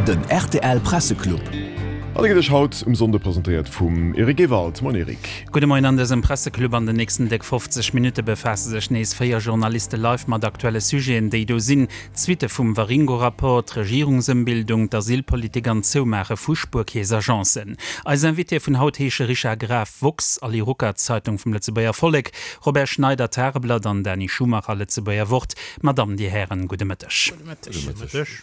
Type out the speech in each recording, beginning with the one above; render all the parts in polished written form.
Den rtl Presseclub. An e gëtt Iech haut um Sonnde presentéiert vum Eric Ewald. Moien Eric. Gudde Moien. An dësem Presseclub an den nächsten déck 50 Minutte befaasse sech nees 4 Journaliste live mat aktuelle Sujeten, déi do sinn, d'Suitte vum Waringo-Rapport, d'Regierungsëmbildung, d'Asylpolitik an d'Zoumaache vu Spuerkeess-Agencen. Eis Invitéë vun haut heesche Richard Graf, woxx, Ali Ruckert, Zeitung vum Lëtzebuerger Vollek, Robert Schneider, Tageblatt, an Dany Schumacher, Lëtzebuerger Wort. Madame, Dir Hären, gudde Mëtteg. Gudde Mëtteg.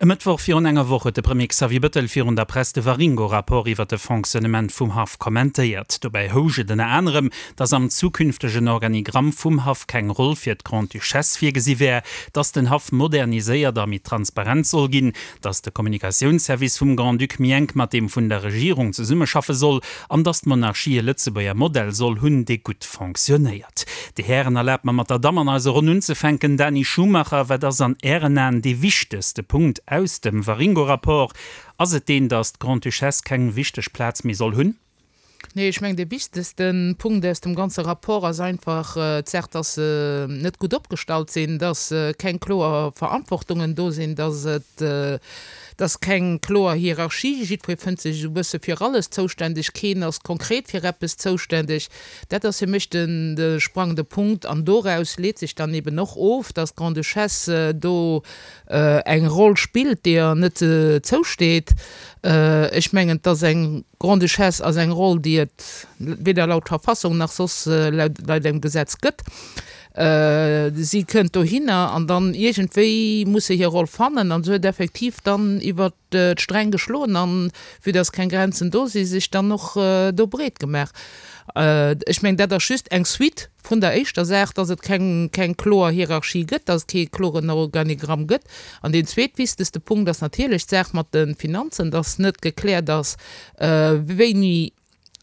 E Mëttwoch virun enger Woch huet de Premier Xavier Bettel virun der Press de Waringo-Rapport iwwer de Fonctionnement vum Haff kommentéiert. Dobäi housch et ënner anerem, datt am zukünftegen Organigramm vum Haff keng Roll fir d'Grande-Duchesse virgesi wär, datt den Haff moderniséiert a méi transparent soll ginn, datt de Kommunikatiounsservice vum Grand-Duc méi enk mat deem vun der Regierung zesummeschaffe soll an datt d'Monarchie e Lëtzebuerger Modell soll hunn, dee gutt fonctionnéiert. Dir Hären, erlaabt mer mat der Damm an eiser Ronn unzefänken. Dany Schumacher, wat ass an Ären Aen dee wichtegste Punkt aus dem Waringo-Rapport? Ass et deen, datt d'Grande-Duchesse keng wichteg Plaz méi soll hunn? Nee, ech mengen, dee wichtegste Punkt aus dem ganze Rapport ass einfach d'Saach, datt se net gutt opgestallt sinn, datt keng kloer Verantwortungen do sinn, datt et, datt keng kloer Hierarchie, jiddweree fënnt sech esou e bësse fir alles zouständeg, keen ass konkret fir eppes zouständeg. Dat ass fir mech den de sprangende Punkt. An doraus leet sech dann eben och of, dass d'Grande-Duchesse do eng Roll spillt, déi der net zousteet. Ech mengen, dass eng Grande-Duchesse ass eng Roll, déi et weder laut Verfassung nach soss laut engem Gesetz gëtt. Si kënnt dohinner an dann iergendwéi muss se hir Roll fannen. An se huet effektiv dann iwwert d'Sträng geschloen an, vue dass keng Grenzen do sinn, sech dann och do breet gemaach. Ech mengen, dat ass just eng Suite vun der éischter Saach, dass et keng, keng kloer Hierarchie gëtt, dass et kee kloren Organigramm gëtt. An deen zweetwichtegste Punkt ass natierlech d'Saach mat de Finanzen, dass net gekläert ass, wéini,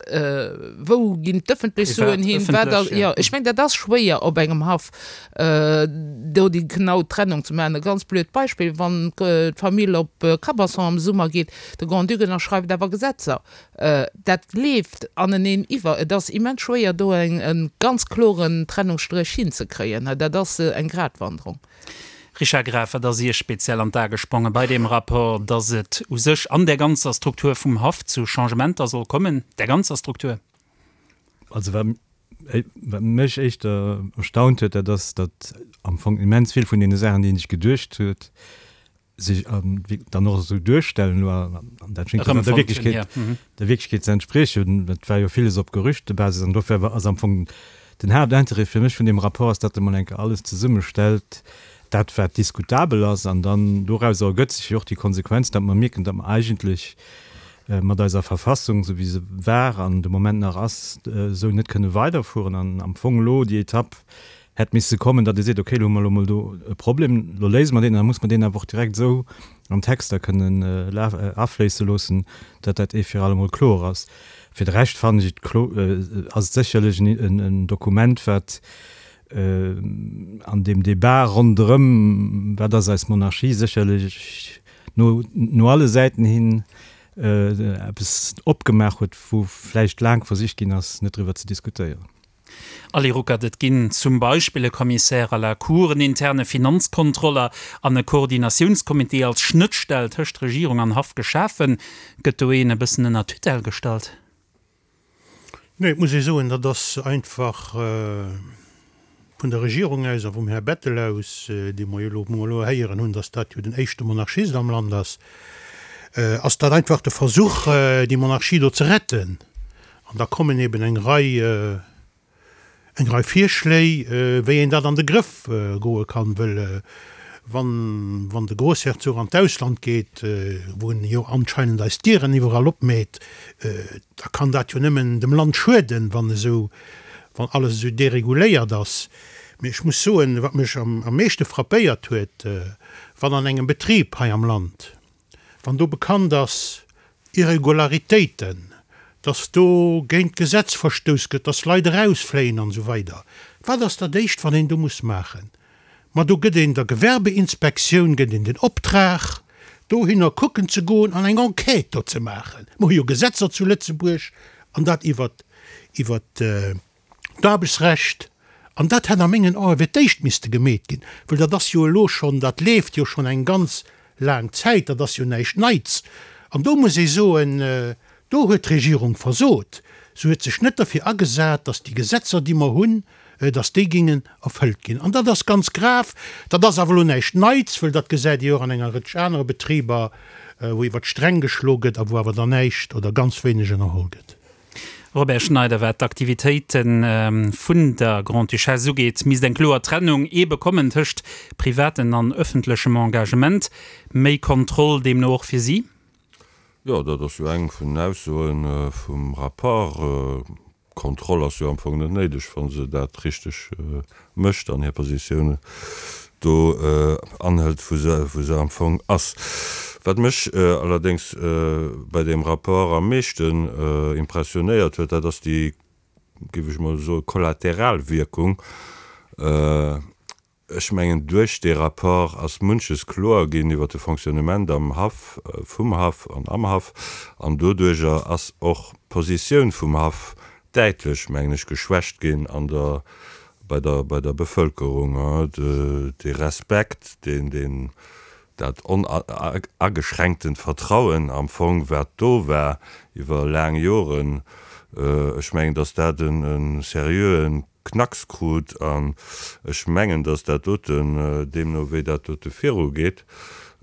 Wou ginn d'ëffentlech Suen hin? Wat ass, jo, ech mengen, dat ass schwéier op engem Haff do déi genau Trennung ze maachen. E ganz blöd Beispill, Wann d'Famill op Cabasson am Summer geet, de Grand-Duc ënnerschreift awer Gesetzer. Dat leeft aneneen iwwer. Et ass immens schwéier do e ganz kloren Trennungsstréch hinzekréien. Dat ass eng Gratwanderung. Richard Graf, Wat ass Iech speziell an d'A gespronge bei deem Rapport, datt et u sech an där ganzer Struktur vum Haff zu Changementer soll kommen, där ganzer Struktur? Also wat mech éischter erstaunt huet, dat ass, datt am Fong immens vill vun deene Saachen, déi een sech geduecht huet, sech dann och esou duerstellen elo, an dat schéngt dann der Wierklechkeet, der Wierklechkeet ze entspriechen. Et war jo villes op Gerüchtebasis an dofir ass am Fong den Haaptintérêt fir mech vun deem Rapport ass, datt e mol eng Kéier alles zesummestellt, dat wat diskutabel ass, an dann dorauser ergëtt sech jo och déi Konsequenz, datt mer mierken, datt mer eigentlech mat eiser Verfassung, esou wéi se war an de Moment nach ass, esou net kënne weiderfueren an am Fong elo déi Etapp hätt misse kommen, datt ee seet, okay, elo hu mer elo mol do e Problem, elo léise mer deen, an da muss mer deen awer och direkt esou an d'Texter kënnen afléisse loossen, datt dat ee fir allemol kloer ass. Fir de Rescht fannen ech et klo, ass et sécherlech en Dokument, wat an deem Débat ronderëm, wat ass eis Monarchie, sécherlech no no alle Säiten hin eppes opgemaach huet, wou vläicht laang versicht ginn ass, net driwwer ze diskutéieren. Ali Ruckert, Et ginn zum Beispill e Commissaire à la Cour, en interne Finanzkontroller an e Koordinatiounscomité als Schnëttstell tëscht Regierung an Haff geschafen. Gëtt do een e bëssen ënner Tutelle gestallt? Nee, et muss ee soen, dat ass einfach vun der Regierung aus a vum Här Bettel aus, dee mer jo elo, wou mer elo héieren hunn, datt dat jo den éischte Monarchist am Land ass, ass dat einfach de Versuch, déi Monarchie do ze retten. An da kommen eben eng Rei, eng Rei Virschléi, wéi een dat an de Grëff goe kann, wëll wann, wann de Grossherzog an d'Ausland geet, wou en jo anscheinend eis d'Dieren iwwerall opméit, da kann dat jo nëmmen dem Land schueden, wann esou, wann alles esou dereguléiert ass. Mee ech muss soen, wat mech am meeschte frappéiert huet, wann an engem Betrib hei am Land, wann do bekannt ass, Irregularitéiten, dass do géint d'Gesetz verstouss gëtt, dass Leit erausfléien an esou weider, wat ass dat Éischt, wat een do muss maachen? Ma do gëtt een der Gewerbeinspektioun gëtt een den Optrag, dohinner kucken ze goen an eng Enquête do ze maachen. Mer hu jo Gesetzer zu Lëtzebuerg, an dat iwwert, iwwert d'Aarbechtsrecht, an dat hätt a mengen Ae fir d'éischt misste gemeet ginn, well dat ass jo elo schonn, dat leeft jo schonn eng ganz. laang Zäit, dat ass jo näischt Neits. An do muss ee soen, do huet d'Regierung versot. Se huet sech net derfir agesat, datt déi Gesetzer, déi mer hunn, datt déi géingen erfëllt ginn. An dat ass ganz grav. Dat ass awer elo näischt Neits, wëll dat gesäit Dir och an enger Rëtsch anere Betriber, wou iwwer d'Sträng geschlo gëtt a wou awer dann näischt oder ganz wéineg ënnerholl gëtt. Robert Schneider, Wat d'Aktivitéite vun der Grande-Duchesse ugeet, misst eng kloer Trennung eebe kommen tëscht privaten an ëffentlechem Engagement. Méi Kontroll deemno och fir si? Jo, dat ass jo eng vun den Aussoe vum Rapport. Kontroll ass jo am Fong net néideg, wa se dat richteg mécht an hir Positioun do anhëlt, wou se, wou se am Fong ass. Wat mech allerdéngs bei deem Rapport am meeschten impressionéiert huet, dat ass déi, géif ech mol soen, Kollateralwierkung. Ech mengen, duerch dee Rapport ass munches kloer ginn iwwer de Fonctionnement am Haff, vum Haff an am Haff. An doduerjer ass och d'Positioun vum Haff däitlech, mengen ech, geschwächt ginn an der, bei der, bei der Bevölkerung. Dee Respekt, deen, deen, dat onageschränktent Vertrauen am Fong, wat do war iwwer laang Joren, ech mengen, datt dat e seriöe Knacks krut. An ech mengen, datt dat doten, deemno wéi dat dote virugeet,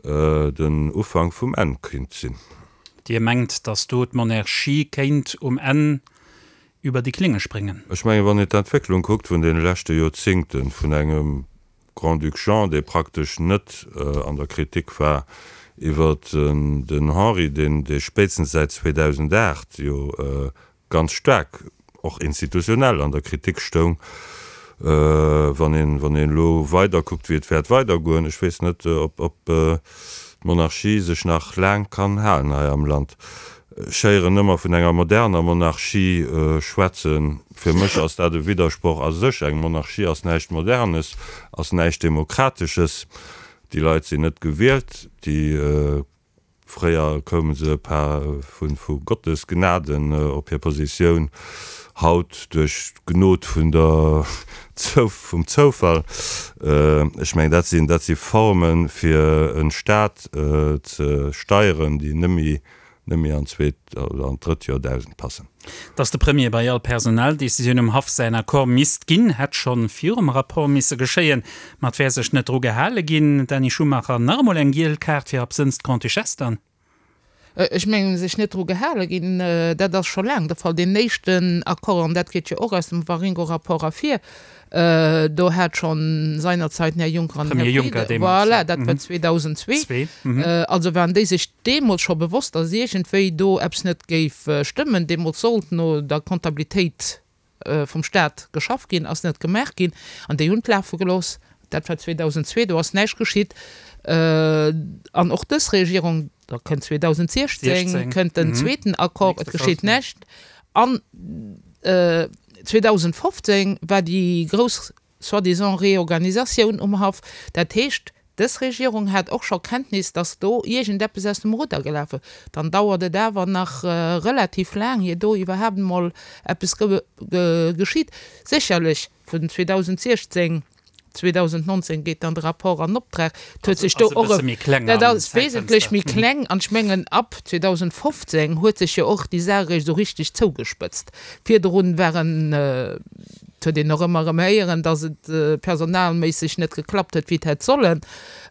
den Ufank vum Enn kéint sinn. Dir mengt, datt do d'Monarchie kéint um Enn über déi Klinge spréngen? Ech mengen, wann een d'Entwécklung kuckt vun deene leschte Joerzingten, vun engem Grand-Duc Jean, dee praktesch net an der Kritik war, iwwer den Henri, deen dee spéitstens säit 2008 jo ganz staark och institutionell an der Kritik stoung, wann een, wann een elo weider kuckt, wéi et wäert weidergoen, ech weess net, ob, ob d'Monarchie sech nach laang kann halen hei am Land. Ech héieren ëmmer vun enger moderner Monarchie schwätzen. Fir mech ass dat e Widdersproch a sech. Eng Monarchie ass näischt Modernes, ass näischt Demokratesches. Déi Leit sinn net gewielt, déi Fréier koume se par vu Gottes Gnaden op hir Positioun, haut duerch d'Gnod vun der vum Zoufall. Ech mengen, dat sinn dat si Formen, fir e Staat ze steieren, déi net méi net méi an d'zweet oder an d'drëtt Joerdausend passen. Datt de Premier bei all Personaldecisioun um Haff säin Accord misst ginn, hätt schonn virum Rapport misse geschéien. Ma et wär sech net dru gehale ginn. Dany Schumacher, Nach emol eng giel Kaart fir absënns d'Grande-Duchesse dann? Ech mengen, sech net dru gehale ginn, dat ass scho laang de Fall. Deen éischten Accord, an dat geet jo och aus dem Waringo-Rapport ervir, Do hat schonn seinerzeit den Här Juncker an den Här Frieden, voilà, dat war 2002, also waren déi sech deemools scho bewosst, datt iergendwéi do eppes net géif stëmmen. Deemools sollt no der Comptabilitéit vum Stat geschafft ginn, ass net gemaach ginn an déi hunn et lafe gelooss. Dat war 2002, do ass näischt geschitt. An och dës Regierung, da kënnt 2016, kënnt den zweeten Accord, et geschitt näischt. An 2015 war déi grouss soi-disant Reorganisatioun um Haff. Dat heescht, dës Regierung hat och scho Kenntnis, dass do iergendeppes aus dem Rudder gelaf war. Dann dauert et awer nach relativ laang, ier do iwwerhaapt emol eppes geschitt. Sécherlech vun 2016 2019 geet dann de Rapport an Optrag. Et huet sech do och e, dat ass wesentlech méi kleng an ech mengen ab 2015 huet sech jo och déi Saach eréischt esou richteg zougespëtzt. Virdrun waren, et huet een och ëmmer erëm héieren, datt et personalméisseg net geklappt huet wéi et hätt sollen.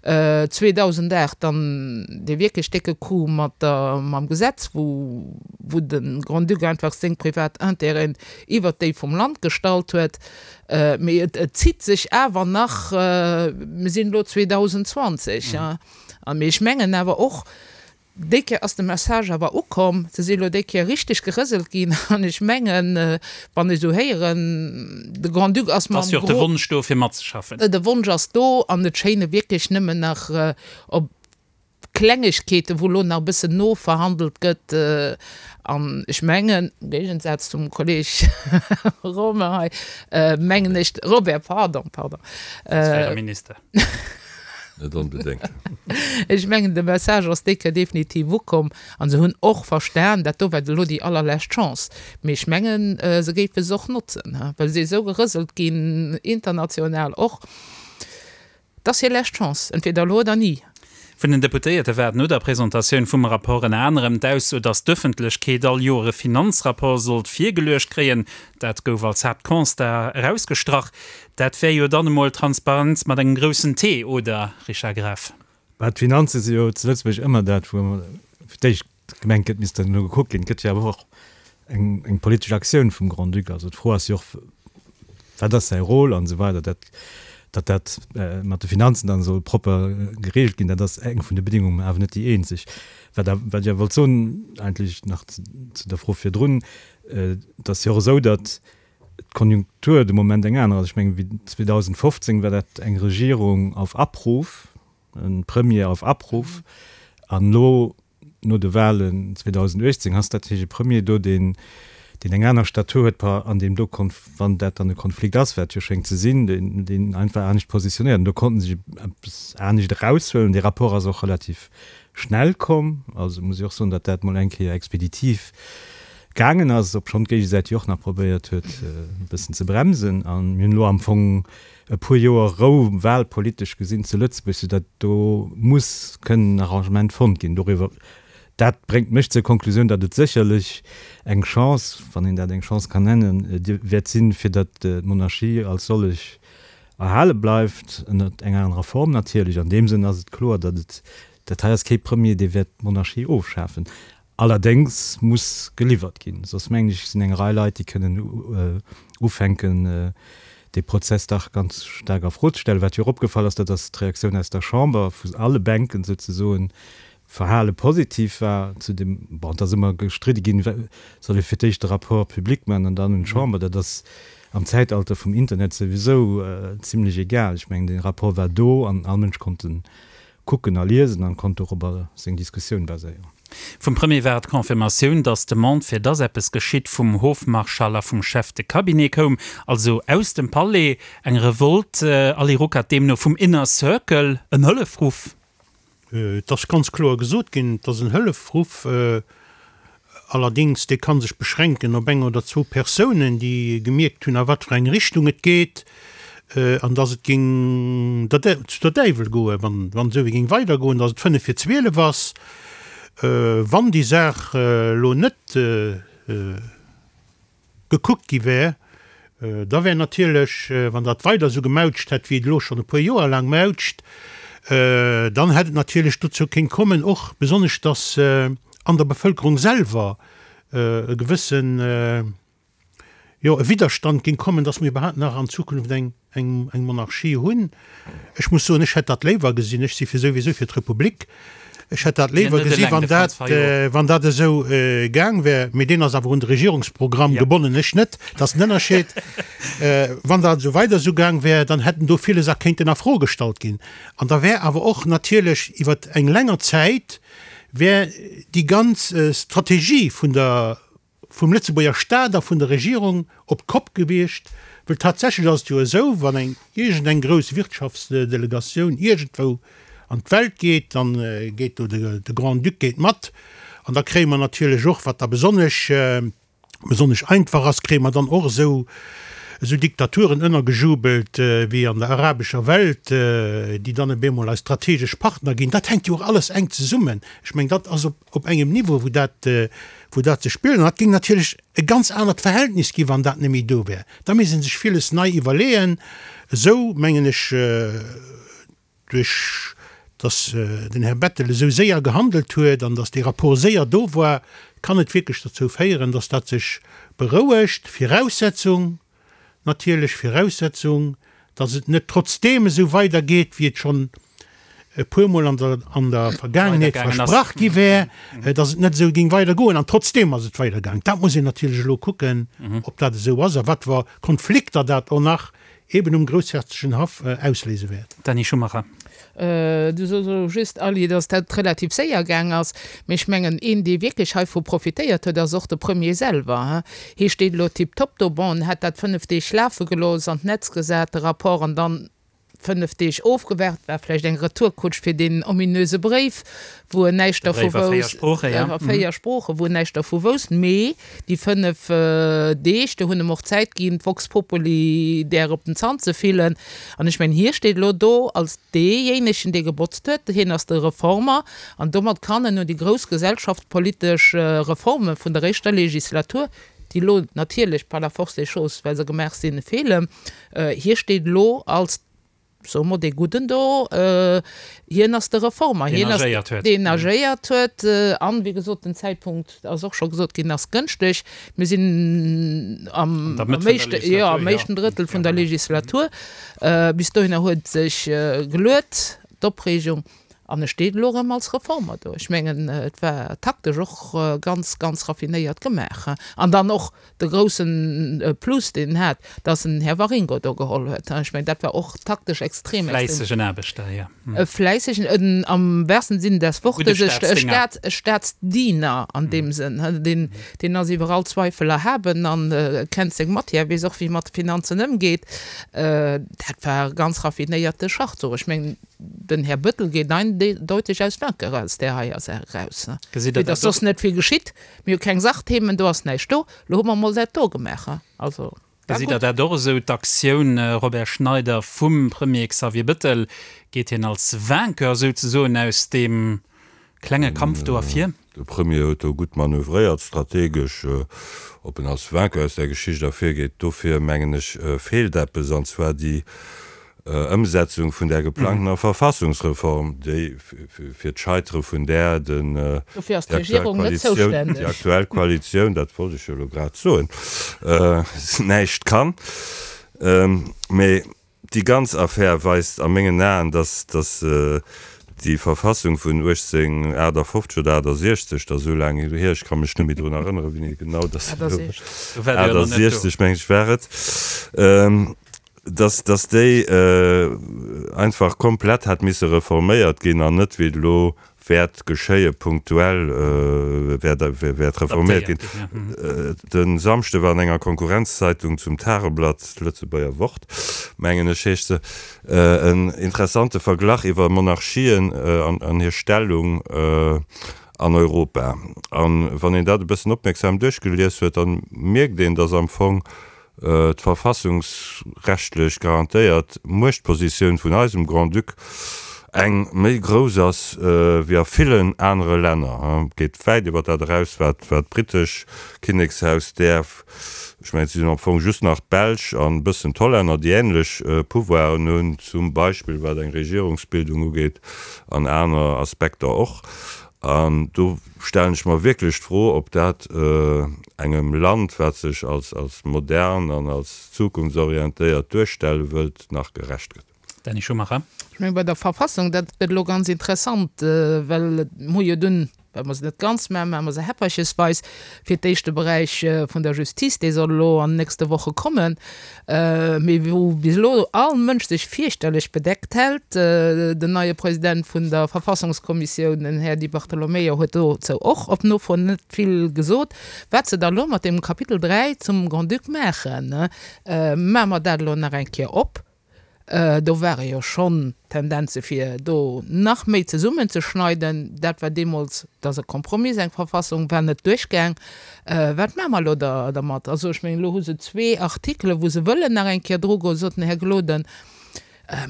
2008 dann dee wierklech décke Coup mat der, mam Gesetz, wou, wou de Grand-Duc einfach seng privat Intérêten iwwert déi vum Land gestallt huet. Mee et zitt sech awer nach, mir sinn elo 2020, a mee ech mengen awer och, déi Kéier ass de Message awer ukomm, se si elo déi Kéier richteg gerëselt ginn an ech mengen, wann ech esou héieren, de Grand-Duc ass mam Ass jo och de Wonsch do fir matzeschaffen. De Wonsch ass do an et schéine wierklech nëmmen nach op Klengegkeeten, wou elo nach e bëssen noverhandelt gëtt. An ech mengen, am Géigensaz zum Kolleeg Romain hei, mengen ech, Robert, pardon, pardon. Als fréiere Minister. Net onbedéngt. Ech mengen, de Message ass déi Kéier definitiv ukomm. An se hunn och verstan, dat do war elo déi allerlescht Chance. Mee ech mengen, se géife se och notzen, well se esou gerëselt ginn, international och. 't ass hir lescht Chance, entweder elo oder ni. Vun den Deputéierte war et no der Presentatioun vum Rapport ënner anerem d'Ausso, datt d'Ëffentlechkeet all Joer e Finanzrapport sollt virgeluecht kréien. Dat gouf als Haaptconstat erausgestrach. Dat wär jo dann emol Transparenz mat engem groussen T, oder, Richard Graf? Bah, d'Finanze si jo zu Lëtzebuerg ëmmer dat, wou fir d'éischt gemengt gëtt, misst dann elo gekuckt ginn. Et gëtt jo awer och eng, eng politesch Aktioun vum Grand-Duc. Also d'Fro ass jo och, wat ass säi Rôle an esou weider. Dat, datt dat mat de Finanzen dann soll propper geregelt ginn, dat ass eng vun de Bedingungen, mä awer net déi eenzeg. Wat, wat ech awer wollt soen, eigentlech nach zu der Fro virdrun, Et ass jo och esou, datt d'Konjunktur de Moment eng aner ass. Ech mengen, wéi 2015 war dat eng Regierung auf Abruf, e Premier auf Abruf. An elo, no de Wahlen 2018, ass dat natierlech e Premier do, deen, deen eng aner Statur huet par an deem do, wann dat dann e Konflikt ass, wat jo schéngt ze sinn, deen, deen einfach anescht positionéiert. An do konnten se sech eppes anescht eraushuelen. Dee Rapport ass och relativ schnell komm. Also muss ech och soen, datt dat mol eng Kéier expeditiv gaangen ass, obschonn d'Géigesäit jo och nach probéiert huet, e bëssen ze bremsen. A mir hunn elo am Fong e puer Joer Rou wahlpolitesch gesinn zu Lëtzebuerg, soudatt do muss kënnen en Arrangement fonnt ginn doriwwer. Dat bréngt mech zur Konklusioun, datt et sécherlech eng Chance, wann een dat eng Chance kann nennen, wäert sinn, fir datt d'Monarchie als sollech erhale bleift, ënnert enger anerer Form natierlech. An deem Sënn ass et kloer, datt et, dat hei ass kee Premier, dee wäert d'Monarchie ofschafen. Allerdéngs muss geliwwert ginn, soss mengen ech, sinn eng Rei Leit, déi kënnen ufänken, dee Prozess dach ganz staark a Fro ze stellen. Wat jo och opgefall ass, dat ass d'Reaktioun aus der Chamber, vu alle Bänken souzesoen, Verhale positiv war zu dem, bon, et ass ëmmer gestridde ginn, soll ee fir d'éischt de Rapport public maachen an dann un d'Chamber. Dat ass am Zäitalter vum Internet souwisou zimlech egal. Ech mengen, dee Rapport war do an all Mënsch konnt en kucken a liesen an konnt dorobber seng Diskussioun baséieren. Vum Premier war et d'Confirmatioun, datt d'Demande fir datt eppes geschitt vum Hofmarschall a vum Chef de Cabinet koum, also aus dem Palais. Eng Revolte, Ali Ruckert, deemno vum Inner Circle, en Hëllefruff? Et ass ganz kloer gesot ginn, et ass en Hëllefruff. Allerdéngs, dee ka sech beschränken op eng oder zwou Persounen, déi gemierkt hunn, a wat fir eng Richtung et geet, an datt et géing zu der Däiwel goen, wann esou wéi géing weidergoen, datt et fënnef vir 12 ass. Wann déi Saach elo net gekuckt gi wär, da wär natierlech, wann dat weider esou gemautscht hätt, wéi et elo schonn e puer Joer laang mautscht, dann hätt et natierlech dozou kéint kommen, och besonnesch, datt an der Bevëlkerung selwer e gewëssen, jo, e Widderstand géing kommen, datt mir iwwerhaapt nach an Zukunft eng eng Monarchie hunn. Ech muss soen, ech hätt dat léiwer gesinn, ech si fir souwisou fir d'Republik, ech hätt dat léiwer gesi wann dat, wann dat esou gaang wär. Mee deen ass awer un de Regierungsprogramm gebonnen, ech net. Dat ass den Ënnerscheed. Wann dat esou weider esou gaang wär, dann hätten do villes a kéinten a Fro gestallt ginn. An da wär awer och natierlech iwwer eng länger Zäit wär déi ganz Strategie vun der, vum Lëtzebuerger Staat a vun der Regierung op d'Kopp gewiescht, well tatsächlech ass et jo esou, wann eng iergend eng grouss Wirtschaftsdelegatioun iergendwou an d'Welt geet, dann geet do de Grand-Duc geet mat an da kréie mer natierlech och, wat da besonnesch besonnesch einfach ass, kréie mer dann och esou esou Diktaturen ënnergejubelt wéi an der arabescher Welt, déi dann op eemol eis strategesch Partner ginn. Dat hänkt jo och alles enk zesummen. Ech mengen, dat ass op op engem Niveau, wou dat, wou dat sech spillt. An dat géing natierlech e ganz anert Verhältnis ginn, wann dat net méi do wär. Da misst ee sech villes nei iwwerleeën. Esou, mengen ech, duerch datt den Här Bettel esou séier gehandelt huet an datt dee Rapport séier do war, kann et wierklech dozou féieren, datt dat sech berouegt. Viraussetzung, natierlech Viraussetzung, datt et net trotzdeem esou weidergeet, wéi et schonn e puermol an der, an der Vergaangenheet versprach gi wär, datt et net esou géing weidergoen. An trotzdeem ass et weidergaangen. Dat muss een natierlech elo kucken, ob dat esou ass a wat fir Konflikter dat och nach eben um groussherzoglechen Haff ausléise wäert. Dany Schumacher. Du sos elo just, Aly, datt dat relativ séier gaang ass. Mee ech mengen, een, dee wierklech heivu profitéiert huet, ass och de Premier selwer. Hie steet elo tiptop do. Bon, en hätt dat 5 Deeg lafe gelooss, an d'Netz gesat, de Rapport, an dann. 5 Deeg ofgewaart, war vläicht eng Retourkutsch fir deen ominöse Bréif, wou en näischt De dervu Bréif a véier wousst, Sproochen, ja. a véier Sproochen, wou en näischt dervu wousst. Mee déi 5 Deeg, do hunn em och Zäit ginn, d'Vox Populi där op den Zant ze fillen. An ech mengen, hie steet elo do als deejéinegen, dee gebotzt huet. Hien ass de Reformer an domat kann en un déi grouss gesellschaftspolitesch Reforme vun der éischter Legislatur, déi elo natierlech par la force des choses, well se gemaach sinn, feelen. Hie steet elo als, soe mer, dee Gudden do. Hien ass de Reformer, Deen agéiert huet. Deen agéiert huet. An, wéi gesot, den Zäitpunkt, ass och scho gesot ginn, ass gënschteg. Mir sinn am éischten Drëttel vun der Legislatur. Bis dohinner huet sech geluet, d'Opreegung. An e steet elo erëm als Reformer do. Ech mengen, et war taktesch och ganz, ganz raffinéiert gemaach. An dann och de groussen Plus, deen en hat, dass en den Här Waringo do geholl huet. Ech mengen, dat war och taktesch extrem, E extrem. fläissegen Aarbechter, jo. E fläissegen, en am wahrsten Sinn des Gudde Wortes, e Staatsdénger. Staats, e Staatsdiener an deem Sënn. Deen, deen ass iwwer all Zweifel erhaben an kennt seng Matière, weess och, wéi e mat de Finanzen ëmgeet. Dat war e ganz raffinéierte Schachzuch. Ech mengen, Den Här Bëttel geet eindeuteg aus Vainqueur aus där heier Saach eraus. Gesitt Der Et ass dat och? soss net vill geschitt. Mir hu keng Sachthemen, do ass näischt do. Lo hu mer emol dat do gemaach. Also, war Gesitt Der gutt. dat och esou, d'Aktioun Robert Schneider vum Premier Xavier Bëttel? Geet hien als Vainqueur souzesoen aus deem klenge Kampf do ervir? De Premier huet do gutt manövréiert, strategesch. Ob en als Vainqueur aus där Geschicht ervirgeet, dofir mengen ech feelt eppes, an zwar déi Ëmsetzung vun där geplangtener Verfassungsreform, déi fir d'Scheitere vun där den Dofir ass d'Regierung net zoustänneg. déi aktuell Koalitioun, dat wollt ech jo elo grad soen, näischt kann. Mee Déi ganz Affär weist a mengen Aen, dass déi Verfassung vun 1858 oder 68, dat ass esou laang hier, ech ka mech net méi drun erënneren, wéini genau dass se elo, 68 meng ech war et, dass dass déi einfach komplett hätt misse reforméiert ginn an net wéi et elo wäert geschéie punktuell wäert reforméiert ginn. De Samschde war an enger Konkurrenzzeitung zum Tageblatt, d'Lëtzebuerger Wort, mengen ech heescht se, en interessante Verglach iwwer Monarchien an hir Stellung an Europa. A wann een dat e bëssen opmierksam duerchgelies huet, da mierkt een, datt am Fong d'verfassungsrechtlech garantéiert Muechtpositioun vun eisem Grand-Duc eng méi grouss ass wéi a villen anere Länner, geet wäit iwwer dat eraus, wat d'brittesch Kinnekshaus däerf. Ech mengen, et sinn am Fong just nach d'Belsch an e bëssen d'Hollänner, déi änlech Pouvoiren hunn, zum Beispill wat eng Regierungsbildung ugeet an aner Aspekter och. An do stellen ech mer wierklech d'Fro, ob dat engem Land, wat sech als als modern an als zukunftsorientéiert duerstelle wëllt, nach gerecht gëtt. Dany Schumacher. Ech mengen, bei der Verfassung, dat gëtt elo ganz interessant, well mir hu jo dunn, well mer se net ganz maachen, maache mer se häpperchesweis, fir d'éischt de Beräich vun der Justice, dee soll elo an den nächste Woche kommen, Mee wou bis elo all Mënsch sech fierchterlech bedeckt hält, den neie President vun der Verfassungskommissioun, den Här Di Bartolomeo, huet dozou och op Nofro net vill gesot, wat se da elo mat deem Kapitel 3 zum Grand-Duc maachen. Maache mer dat elo nach eng Kéier op? Do ware jo schonn Tendenze fir do nach méi zesummenzeschneiden. Dat war deemools, dat ass e Kompromiss, eng Verfassung war net duerchgaang. Wat maache mer elo da dermat? Also ech mengen, elo hu se zwee Artikelen, wou se wëllen nach eng Kéier drugoen, sot den Här Gloden.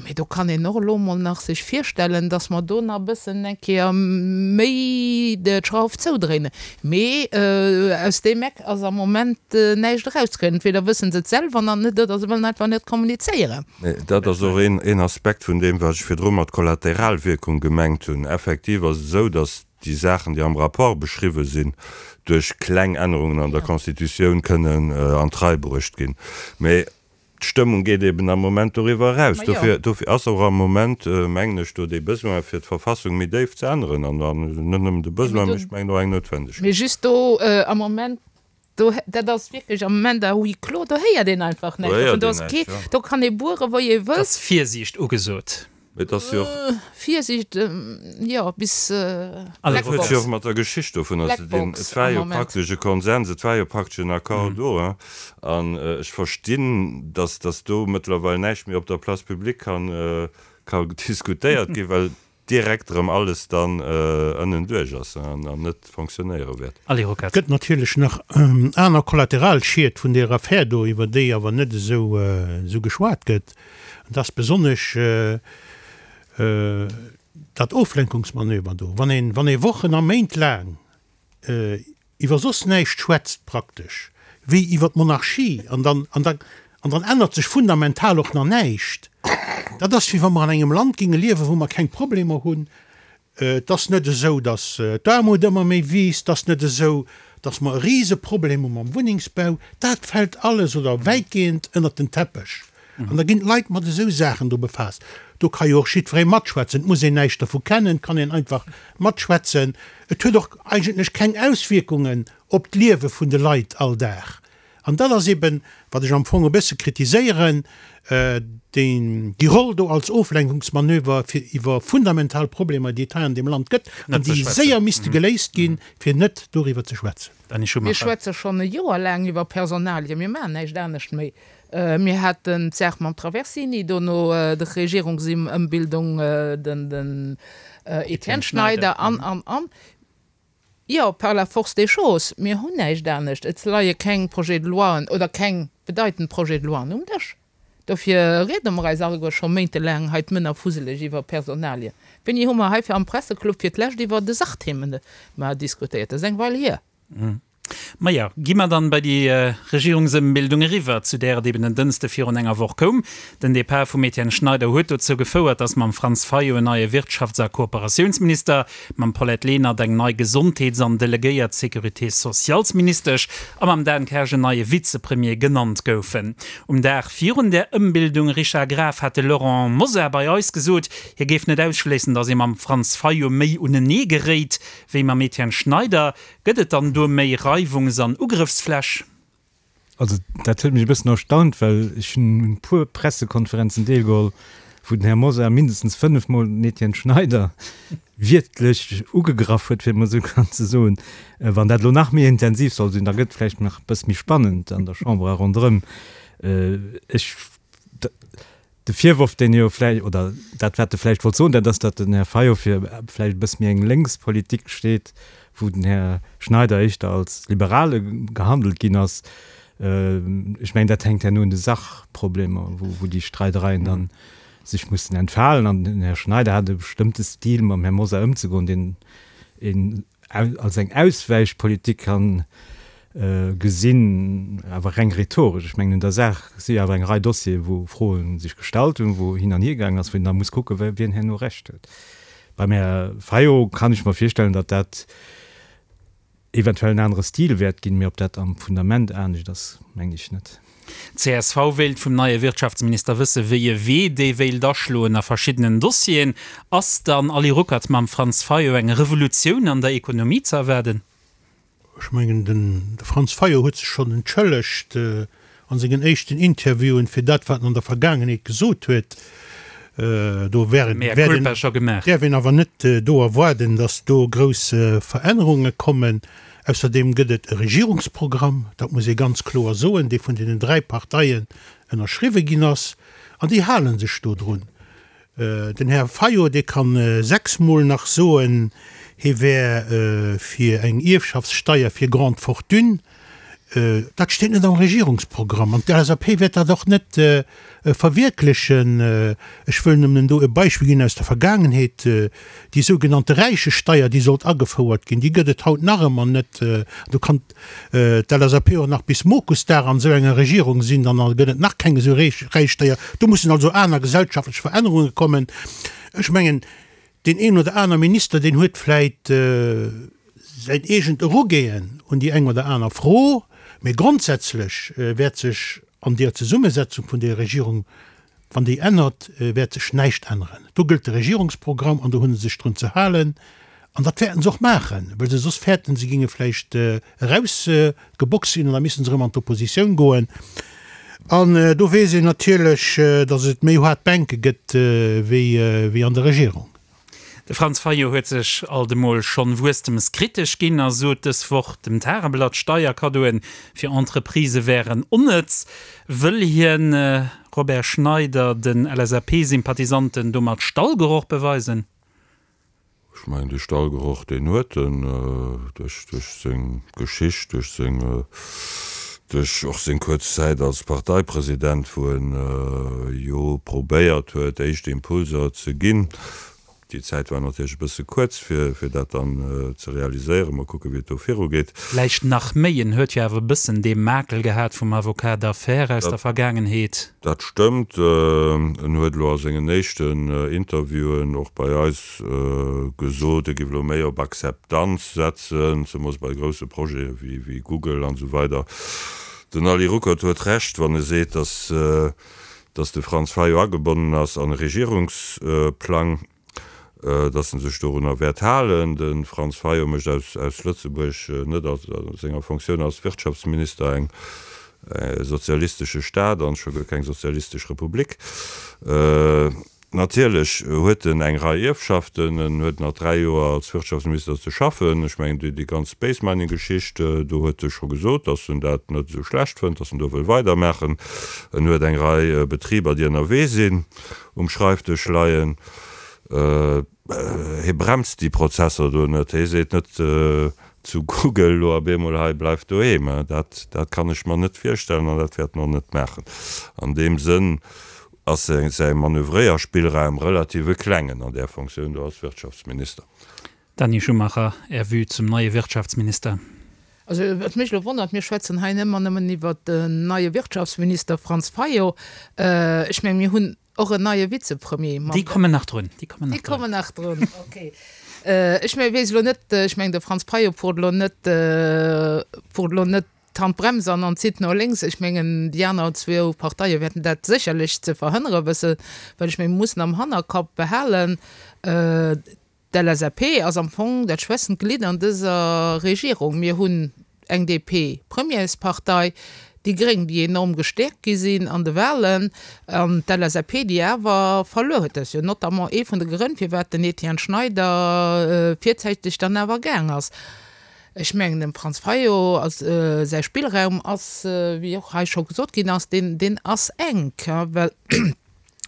Mee do kann een och elo emol nach sech virstellen, datt mer do nach e bëssen eng Kéier méi d'Schrauf zoudréinen. Mee aus deem Eck ass am Moment näischt erauszekréien. Entweder wësse se et selwer nach net oder se wëllen einfach net kommunizéieren. Mee dat ass och een Aspekt vun deem, wat ech virdru mat Kollateralwierkung gemengt hunn. Effektiv ass et esou, datt déi Saachen, déi am Rapport beschriwwen sinn, duerch kleng Ännerungen an der Constitutioun kënnen an d'Rei bruecht ginn. Mee D'Stëmmung geet eben am Moment doriwwer eraus. Dofir, dofir ass och am Moment, mengen ech, do dee Besoin, fir d'Verfassung méi déif ze änneren. An net nëmmen de Besoin, mee ech mengen och eng Noutwendegkeet. Mee just do am Moment, do, dat ass wierklech am Moment à huis clos, do héiert een einfach näischt dovun. Do ass kee, do kann ee buere wou ee wëllt. Et ass Virsiicht ugesot. Mee et ass jo och. Virsiicht, jo, bis Et huet jo och mat der Geschicht dovunner ze dinn. Et war jo praktesch e Konsens, et war jo praktesch en Accord do. An ech verstinn, datt datt do mëttlerweil näischt méi op der Place publique kann ka diskutéiert ginn, well direkt erëm alles dann ënnenduerch ass an net fonctionnéiere wäert. Allez, Rocard. Et gëtt natierlech nach aner Kollateralschied vun där Affär do, iwwer déi awer net esou geschwat gëtt. An dat ass besonnesch dat Oflenkungsmanöver do, wann een, wann ee Wochen a Méint laang iwwer soss näischt schwätzt praktesch wéi iwwer d'Monarchie an dann, an dann, an dann ännert sech fundamental och nach näischt. Dat ass wéi wa mer an engem Land géinge liewen, wou mer keng Problemer hunn. Et ass net esou, datt d'Aarmut ëmmer méi wiisst, et ass net esou, datt mer e Riseproblem hu mam Wunnengsbau. Dat fält alles oder wäitgehend ënnert den Teppech. An da ginn d'Leit mat esou Saachen do befaasst. Do ka jo och jiddweree matschwätzen. Et muss een näischt dervu kennen, et kann een einfach matschwätzen. Et huet och eigentlech keng Auswierkungen op d'Liewe vun de Leit all Dag. An dat ass eben, wat ech am Fong e bësse kritiséieren, déi Roll do als Oflenkungsmanöver, fir iwwer fundamental Problemer, déi et hei an deem Land gëtt an déi séier misste geléist ginn, fir net doriwwer ze schwätzen. Mir schwätze schonn e Joer laang iwwer Personalien. Mir maachen näischt anescht méi. Mir haten d'Saach mam Traversini, dono d'Regierungsëmbildung, den Etienne Schneider an, an, an. Jo, par la force des choses, mir hunn näischt anescht. Et leie keng Projets de loien oder keng bedeitend Projets de loien um Dësch. Dofir riede mer eis alleguer scho méintelaang hei d'Mënner fuseleg iwwer Personalien. Wéini hu mer heifir am Presseclub fir d'lescht iwwer de Sachthemen diskutéiert? Dat ass eng Weil hier. Maja, gi mer dann bei déi Regierungsëmbildung eriwwer, zu där et eben en Dënste virun enger Woch koum. Den Depart vum Etienne Schneider huet dozou gefouert, datt mam Franz Fayot en neie Wirtschafts a Kooperatiounsminister, mam Paulette Lenert eng nei Gesondheets an delegéiert Sécurité socialsministesch a mam Dan Kersch en neie Vizepremier genannt goufen. Um Dag virun där Ëmbildung, Richard Graf, hat de Laurent Mosar bei eis gesot, hie géif net ausschléissen, datt ee mam Franz Fayot méi unenee geréit wéi mam Etienne Schneider. Gëtt et dann do méi Reiwungs an Ugrëffsfläch? Also dat huet mech e bëssen erstaunt, well ech hunn un e puer Pressekonferenzen deelgeholl, wou den Här Mosar mindestens fënnefmol den Etienne Schneider wiertlech ugegraff huet, fir et mol esou ganz ze soen. Wann dat elo nach méi intensiv soll sinn, da gëtt et vläicht nach e bësse méi spannend an der Chamber a ronderëm. Ech. De Virworf, deen e jo vläicht, oder dat wat e vläicht wollt soen, dat ass, datt den Här Fayot fir vläicht e bësse méi eng lénks Politik steet, wou den Här Schneider éischter als Liberale gehandelt ginn ass. Ech mengen, dat hänkt herno un de Sachproblemer, wou déi Streidereien dann sech mussen entfalen. An den Här Schneider hat e bestëmmte Stil, mam Här Mosar ëmzegoen, deen een als eng Auswäichpolitik kann gesinn, awer reng rhetoresch. Ech mengen, un der Saach si jo awer eng Rei Dossieren, wou Froe sech gestallt hunn, wou hin an hier gaangen ass, wou een da muss kucken, wien herno Recht huet. Beim Här Fayot kann ech mer virstellen, datt dat eventuell en anere Stil wäert ginn, mee ob dat am Fundament anescht ass, mengen ech net. D'CSV wéilt vum neie Wirtschaftsminister wësse wéi e Wee dee wéilt aschloen a verschiddenen Dossieren. Ass dann, Ali Ruckert, mam Franz Fayot eng Revolutioun an der Ekonomie ze erwaarden? Ech mengen, de Franz Fayot huet sech schonn entschëllegt a sengen éischten Interviewen fir dat, wat en an der Vergaangenheet gesot huet. Do däerf een awer net do erwaarden, datt do grouss Verännerunge kommen. Ausserdeem gëtt et e Regierungsprogramm, dat muss ee ganz kloer soen, dee vun deenen 3 Parteien ënnerschriwwe ginn ass, an déi hale sech do drun. Den Här Fayot, dee ka sechsmol nach soen, hie wär fir eng Ierfschaftssteier fir Grande fortunes. Dat steet net am Regierungsprogramm an d'LSAP wäert dat och net verwierklechen. Ech wëll nëmmen do e Beispill ginn aus der Vergaangenheet, Déi sougenannte Räichesteier, déi sollt agefouert ginn, déi gëtt et haut nach ëmmer net. Do kann d'LSAP och nach bis Mokusdag an esou enger Regierung sinn, dann gëtt et nach keng esou Räichsteier. Do mussen also aner gesellschaftlech Verännerunge kommen. Ech mengen, deen een oder aner Minister, deen huet vläit säin eegent Erugeen un déi eng oder aner Fro, mee grondsätzlech wäert sech an deer Zesummesetzung vun deer Regierung, wann déi ännert, wäert sech näischt änneren. Do gëllt de Regierungsprogramm an do hu se sech drun ze halen an dat wäerten se och maachen, well se soss fäerten, se géinge vläicht erausgeboxt ginn an da misste se erëm an d'Oppositioun goen. An do weess een natierlech, datt et méi haart Bänke gëtt wéi an der Regierung. De Franz Fayot huet sech alt emol schonn wuesstemskritesch ginn a sot dës Woch dem Tageblatt, Steierkaddoen fir Entreprisë wären onnëtz. Wëll hien, Robert Schneider, den LSAP-Sympathisanten domat Stallgeroch beweisen? Ech mengen, dee Stallgeroch, deen huet en duerch seng Geschicht, duerch seng, duerch och seng kuerz Zäit als Parteipresident, wou en jo probéiert huet, éischt Impulser ze ginn. Déi Zäit war natierlech e bësse kuerz, fir dat dann ze realiséieren. Mol kucken, wéi et do virugeet. Vläicht nach méi, en huet jo awer e bëssen dee Makel gehat vum Avocat d'affaires aus der Vergaangenheet. Dat stëmmt. En huet elo a sengen éischten Interviewen och bei eis gesot, e géif elo méi op Akzeptanz setzen, zemoos bei grousse Projete wéi Google an esou weider. Den Ali Ruckert huet Recht, wann e seet, datt de Franz Fayot agebonnen ass an e Regierungsplang. datt en sech dorunner wäert halen. De Franz Fayot mécht aus Lëtzebuerg net a senger Fonctioun als Wirtschaftsminister eng sozialistesche Staat an scho guer keng sozialistesch Republik. Natierlech huet en eng Rei Ierfschaften. En huet nach 3 Joer als Wirtschaftsminister ze schaffen. Ech mengen, déi ganz Space Mining Geschicht, do huet e scho gesot, datt en dat net esou schlecht fënnt, datt en do wëll weidermaachen. En huet eng Rei Betriber, déi ënnerwee sinn. um Schreifdësch leien. Hie bremst déi Prozesser do net. Hie seet net zu Google elo op eemol, hei bleift doheem. Dat, dat kann ech mer net virstellen an dat wäert en och net maachen. An deem Sënn ass säi Manövréierspillraum relativ e klengen an där Fonctioun do als Wirtschaftsminister. Dany Schumacher, Är Vue zum neie Wirtschaftsminister? Also wat mech elo wonnert, mir schwätzen hei ëmmer nëmmen iwwert den neie Wirtschaftsminister Franz Fayot. Ech mengen, mir hunn och en neie Vizepremier. Déi kommen nach drun. Déi kommen nach drun. Déi kommen nach drun, okay. Ech mengen, weess elo net, ech mengen, de Franz Fayot fuert elo net, fuert elo net d'Handbrems an an zitt no lénks. Ech mengen, déi aner zwou Parteie wäerten dat sécherlech ze verhënnere wëssen, well ech mengen, mir mussen am Hannerkapp behalen, D'LSAP ass am Fong dat schwächstent Glidd an dëser Regierung. Mir hunn eng DP-Premierspartei, déi Gréng, déi enorm gestäerkt gi sinn an de Wahlen, an d'LSAP, déi awer verluer huet. Dat ass jo notamment ee vun de Grënn, firwat den Etienne Schneider virzäiteg dann awer gaang ass. Ech mengen, dem Franz Fayot ass säi Spillraum ass, wéi och hei scho gesot ginn ass, deen ass enk, well,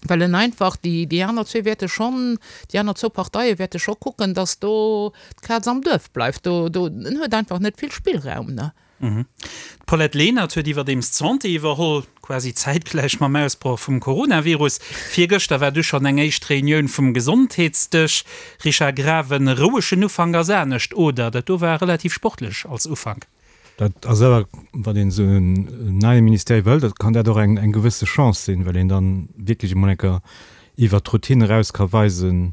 well en einfach, déi, déi aner zwee wäerte schonn, déi aner zwou Parteie wäerte scho kucken, datt do d'Kaz am Duerf bleift. Do, do, en huet einfach net vill Spillraum, ne? D'Paulette Lenert huet iwwerdeems d'Santé iwwerholl, quasi zäitgläich mam Ausbroch vum Coronavirus. Virgëschter war du schonn eng éischt Reunioun vum Gesondheetsdësch. Richard Graven, Rouegen Ufank ass anescht, oder? Dat do war relativ sportlech als Ufank. Dat ass awer, wann een esou en neie Ministère iwwerhëlt, da kann dat och eng eng gewësse Chance sinn, well een dann wierklech emol eng Kéier iwwert d'Routine eraus ka weisen,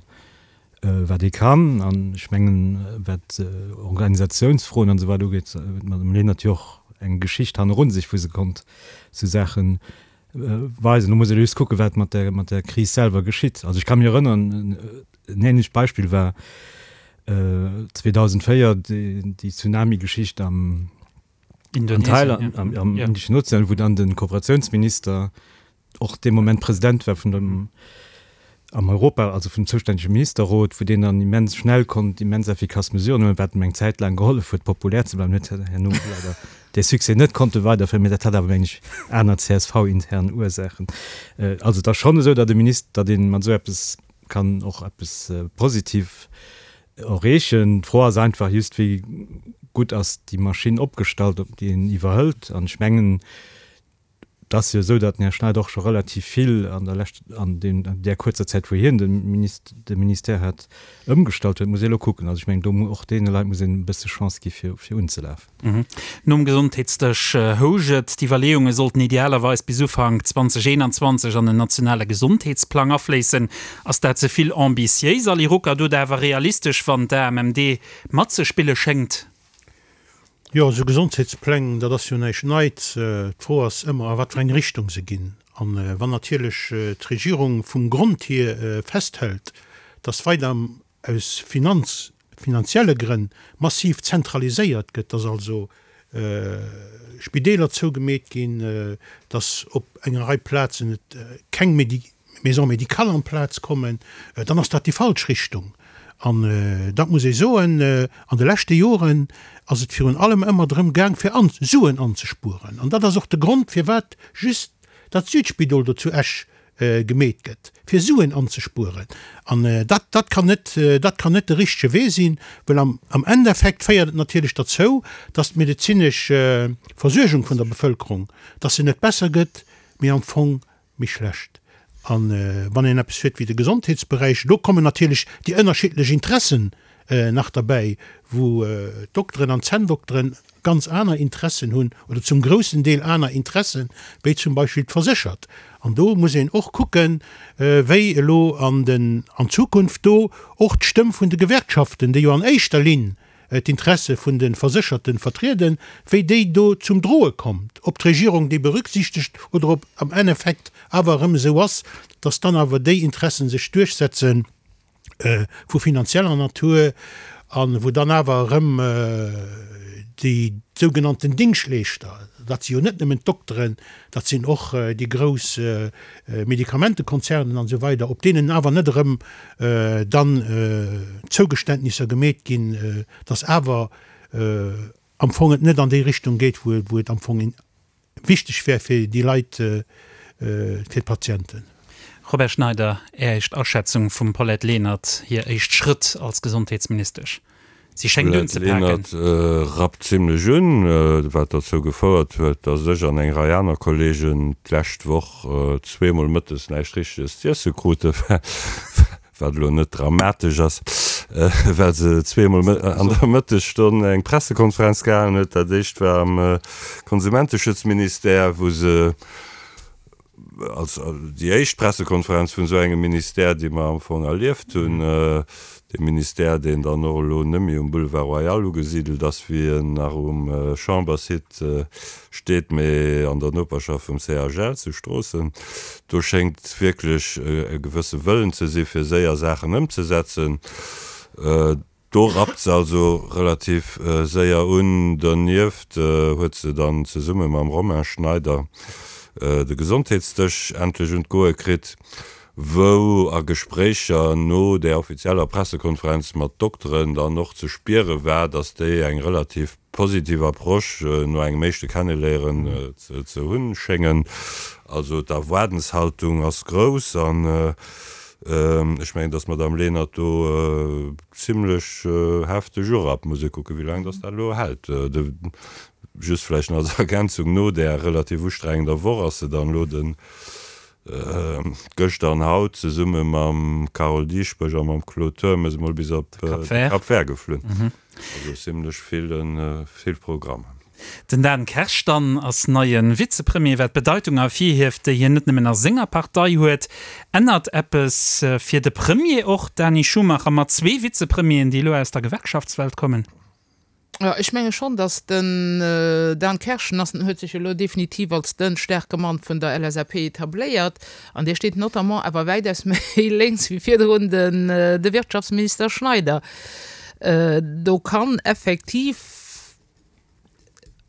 wat ee kann. An ech mengen, wat Organisatiounsfroen an esou weider ugeet, huet d'Madame Lenert jo och eng Geschicht hannerun sech, wou se konnt esou Saache weisen. Do muss ee just kucken, wat mat der, mat der Kris selwer geschitt. Also ech ka mech erënnern, en ähnlecht Beispill war 2004 déi Tsunami-Geschicht am an Thailand, am, am Indischen Ozean, wou dann de Kooperatiounsminister och dee Moment President war vun dem am Europa, also vum zoustännege Ministerrot, wou deen dann immens schnell konnt immens effikass Mesuren huelen, wat em eng Zäit laang gehollef huet, populär ze bleiwen, huet herno leider dee Succès net konnte weiderféieren, mä dat hat awer, meng ech, aner CSV-intern Ursaachen. Also et ass schonn esou, datt e Minister, datt ee mat esou eppes kann och eppes positiv erreechen. D'Fro ass einfach just, wéi gutt ass déi Maschinn opgestallt, op déi een iwwerhëlt. An ech mengen, Et ass jo esou, datt den Här Schneider och scho relativ vill an der lescht, an deem, an där kuerzer Zäit, wou hien de Minist, de Ministère hat, ëmgestallt huet. Muss ee elo kucken. Also ech mengen, do mu, och deene Leit muss een e bësse Chance gi fir, fir unzelafen. Nom Gesondheetsdësch housch et, d'Iwwerleeunge sollten idealerweis bis Ufank 2021 an en nationale Gesondheetsplang afléissen. Ass dat ze vill ambitiéis, Ali Ruckert, oder awer realistesch, wann d'AMMD matzespille schéngt? Jo, esou Gesondheetspläng, dat ass jo näischt Neits. D'Fro ass ëmmer, a wat fir eng Richtung se ginn. A wann natierlech d'Regierung vum Grond hier festhält, dass weider aus Finanz, finanzielle Grënn massiv zentraliséiert gëtt, dass also. Spideeler zougemeet ginn, dass op enger Rei Plazen et keng Maisons médicales amplaz kommen, dann ass dat déi falsch Richtung. An dat muss ee soen, an de leschte Joren ass et virun allem ëmmer drëm gaang, fir Suen anzespueren. An dat ass och de Grond, firwat just dat Südspidol do zu Esch gemeet gëtt, fir Suen anzespueren. An dat, dat kann net, dat kann net de richtege Wee sinn, well am, am Endeffekt féiert et natierlech derzou, dass d'medezinesch Versuergung vun der Bevëlkerung, dass se net besser gëtt, mee am Fong méi schlecht. A wann een eppes huet wéi de Gesondheetsberäich, do kommen natierlech déi ënnerschiddlech Interessen nach derbäi, wou d'Dokteren an d'Zänndokteren ganz aner Interessen hunn oder zum groussen Deel aner Interessen, wéi zum Beispill d'Verséchert. An do muss een och kucken, wéi elo an den, an Zukunft do och d'Stëmm vun de Gewerkschaften, déi jo an éischter Linn d'Interesse vun de Versécherte vertrieden, wéi déi do zum Droe kommt, ob d'Regierung déi berücksichtegt oder ob am Endeffekt awer erëm esou ass, dass dann awer déi Interessen sech duerchsetzen, vu finanzieller Natur an wou dann awer erëm déi sougenannten Dingschtleeschter, dat si jo net nëmmen d'Dokteren, dat sinn och déi grouss Medikamentekonzernen an esou weider, op deenen awer net erëm dann Zougeständnisser gemeet ginn, dass awer am Fong et net an déi Richtung geet, wou et am Fong wichteg wär fir déi Leit, fir d'Patienten. Robert Schneider, Är éischt Aschätzung vum Paulette Lenert hir éischt Schrëtt als Gesondheetsministesch? Si schéngt Paulette unzepaken. Lenert rappt zimlech un, wat derzou gefouert huet, datt ech an eng Rei aner Kollegen d'lescht Woch zweemol mëttes näischt Richteges z'iesse kruten. wat elo net dramatesch ass, well se zweemol an der Mëttesstonn eng Pressekonferenz gehalen huet. Dat éischt war am Konsumenteschutzministère, wou se als déi éischt Pressekonferenz vun esou engem Ministère, déi mer am Fong erlieft hunn, dee Ministère, deen dann och elo net méi um Boulevard Royal ugesidelt ass, wéi en nach um Chambersite steet, mee an der Noperschaft vum CHL zu Stroossen. Do schéngt wierklech e gewësse Wëllen ze si fir séier Saachen ëmzesetzen. Do rappt se also relativ séier un. Donieft huet se dann zesumme mam Romain Schneider de Gesondheetsdësch endlech un d'Goe kritt, wou a Gespréicher no där offizieller Pressekonferenz mat Dokteren dann och ze spiere war, datt déi eng relativ positiv Approche no engem éischte Kenneléieren ze hunn schéngen. Also d'Erwaardenshaltung ass grouss an ech mengen, datt d'Madame Lenert do zimlech hefteg urappt. Muss ee kucken, wéi laang datt dat elo hält. Just vläicht nach als Ergänzung, No där relativ ustrengender Woch ass se dann elo den Gëschter an haut zesumme mam Carole Dieschbourg a mam Claude Turmes emol bis op de Cap Vert geflunn. Also zimlech vill, vill Programm. Den Dan Kersch dann ass neie Vizepremier, wat d'Bedeitung ervirhieft, déi hien net nëmmen a senger Partei huet. Ännert eppes fir de Premier och, Dani Schumacher, mat zwee Vizepremieren, déi elo aus der Gewerkschaftswelt kommen? Jo, ech menge schonn, datt den Dan Kerschen ass, huet sech elo definitiv als de staarke Mann vun der LSAP etabléiert an dee steet notamment awer wäitaus méi lénks wéi virdrun de Wirtschaftsminister Schneider. Do kann effektiv,